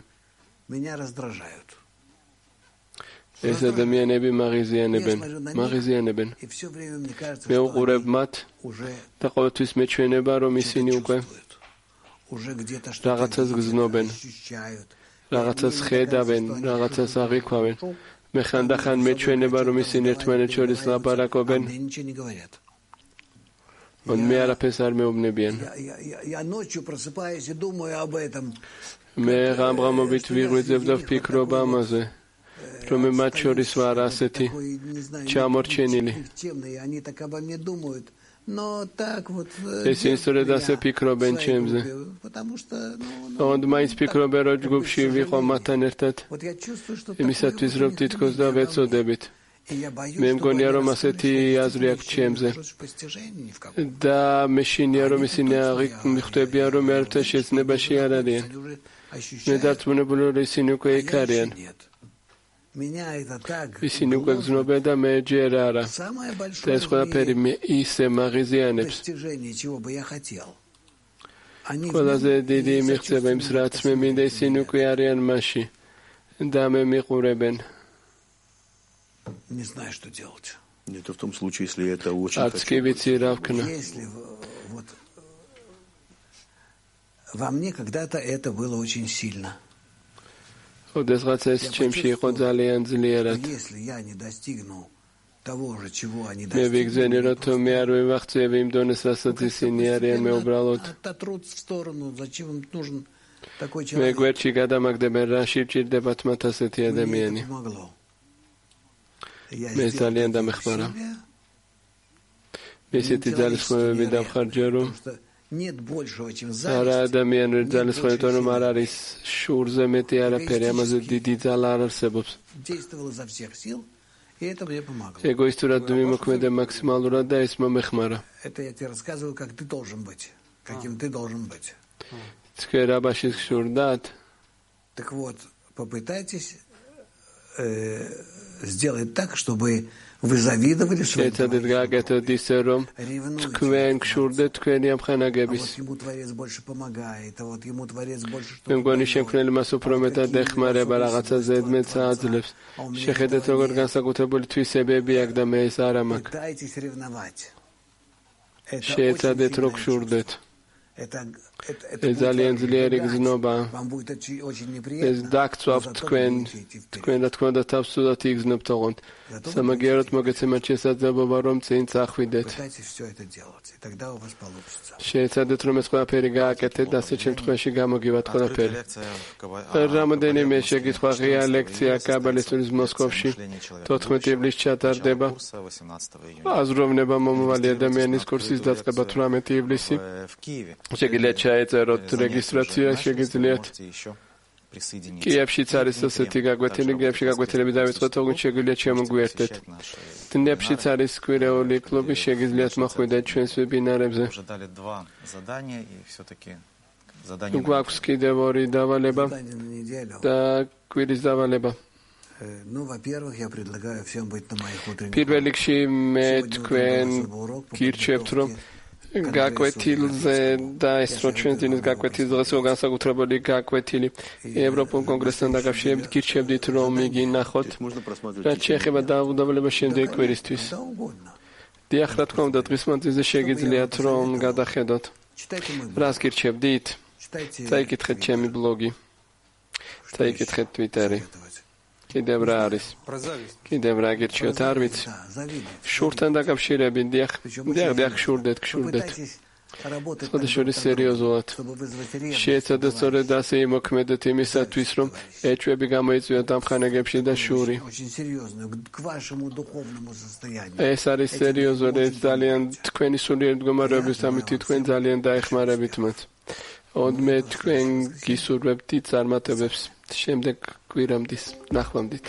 ეს ადამიანები მაღიზიანებენ, მაღიზიანებენ. მე უყურებ მათ და ყოველთვის მეჩვენება, რომ ისინი უკვე რაღაცას გზნობენ, რაღაცას ხედავენ, რაღაცას აღიქვავენ. მე ხანდახან მეჩვენება, რომ ისინი ერთმანეთს შორის ლაპარაკობენ. მე არაფერს არ მეუბნებიან. მე ღამღამობით ვიღვიძებ და ვფიქრობ ამაზე, რომ მე მათ შორის ვარ ასეთი ჩამორჩენილი. ესენი სწორედ ასე ფიქრობენ ჩემზე. ოღონდ მაინც ფიქრობენ, რომ ჯგუფში ვიყო მათთან ერთად, იმისათვის, რომ თითქოს და ვეწოდებით. მე მგონია, რომ ასეთი აზრი აქვს ჩემზე. და მე შინია, რომ ისინი მიხვდებიან, რომ ერთად შეცნებაში არ არიან. მე დარწმუნებული, რომ ისინი უკვე იქ არიან. ისინი უკვე გზნობენ და მე ჯერ არა. და ეს ყველაფერი მე ისე მაღიზიანებს. ყველაზე დიდი მიღწევა იმის, რაც მე მინდა, ისინი უკვე არიან მასში და მე მიყურებენ. არც კი ვიცი რა ვქნა. Во мне когда-то это было очень сильно. ოდესღაც ეს ჩემში იყო ძალიან ძლიერად. მე ვიგზენი, რომ თუ მე არ ვიმახცევი იმ დონეს, რასაც ისინი არიან, მე უბრალოდ მე გვერდში გადამაგდებენ, რაში ვჭირდებათ მათ ასეთი ადამიანი. მე ძალიან დამეხმარა. მე ესეთი ძალისხმევები დავხარჯა, რომ არა ადამიანური ძალისხმევა, რომ არ არის შურზე მეტი არაფერი, ამაზე დიდი ძალა არ არსებობს. ეგოისტურად მიმოქმედე მაქსიმალურად და ეს მომეხმარა. თქვენ რა ბაშის შურდათ? Так вот, попытайтесь сделать так, чтобы вы завидовали своему товарищу. Თქვენ გშურდეთ თქვენი ამ ხანაგების. Ему Творец больше помогает, а вот ему Творец больше что-то. მე მგონი შემქმნელი მას უფრო მეტად ეხმარება, რაღაცა ზედმეტს აძლევს. შეხედეთ, როგორ განსაკუთრებული თვისებები აქვს და მე ეს არ მაქვს. Пытайтесь ревновать. შეეცადეთ, რომ გშურდეთ. ეს ძალიან ძლიერი გზნობა. ეს დაგწვავთ თქვენ, თქვენ რა თქმა უნდა თავს ცუდად იგზნობთ ოღონდ. სამაგიეროდ მოგეცემათ შესაძლებლობა რომ წინ წახვიდეთ. შეეცადეთ რომ ეს ყველაფერი გააკეთეთ და ასეთ შემთხვევაში გამოგივათ ყველაფერი. რამოდენიმე შეკითხვა ღია ლექცია კაბალისტურის მოსკოვში თოთხმეტი ივლისს ჩატარდება. აზროვნება მომავალი ადამიანის კურსის დაწყება თვრამეტი ივლისი. შეგიძლიათ ჩაეწეროთ რეგისტრაცია, შეგიძლიათ კიევშიც არის ასეთი გაკვეთილი, კიევში გაკვეთილები დავიწყოთ, თუმცა შეგიძლიათ შემოგვიერთდეთ. დნეპრშიც არის კვირეული კლუბი, შეგიძლიათ მოხვიდეთ ჩვენს ვებინარებზე. გვაქვს კიდევ ორი დავალება და კვირის დავალება. პირველ რიგში მე თქვენ გირჩევთ რომ გაკვეთილზე და ეს რო ჩვენ ძინის გაკვეთის დღეს განსაკუთრებული გაკვეთილი ევროპულ კონგრესთან დაკავშირებით გირჩევდით რომ იგი ნახოთ რაც შეეხება დაავადებულებას შემდეგი კვირისთვის. დიახ, რა თქმა უნდა დღის მანძილზე შეგიძლიათ რომ გადახედოთ. რას გირჩევდით? წაიკითხეთ ჩემი ბლოგი. წაიკითხეთ ტვიტერი. კიდევ რა არის? კიდევ რა გირჩევთ, არ ვიცი. შურთან დაკავშირებით, დიახ, დიახ, დიახ, შურდეთ, შურდეთ. სხვადასხვა სერიოზულად. შეეცადეთ სწორედ ასე იმოქმედეთ იმისათვის, რომ ეჭვები გამოიწვიოთ ამ ხანაგებში და შური. ეს არის სერიოზული, ეს ძალიან თქვენი სულიერი მდგომარეობის ამით თქვენ ძალიან დაეხმარებით მათ. ოდმე თქვენ გისურვებთ წარმატებებს. შემდეგ კვირამდის ნახვამდით.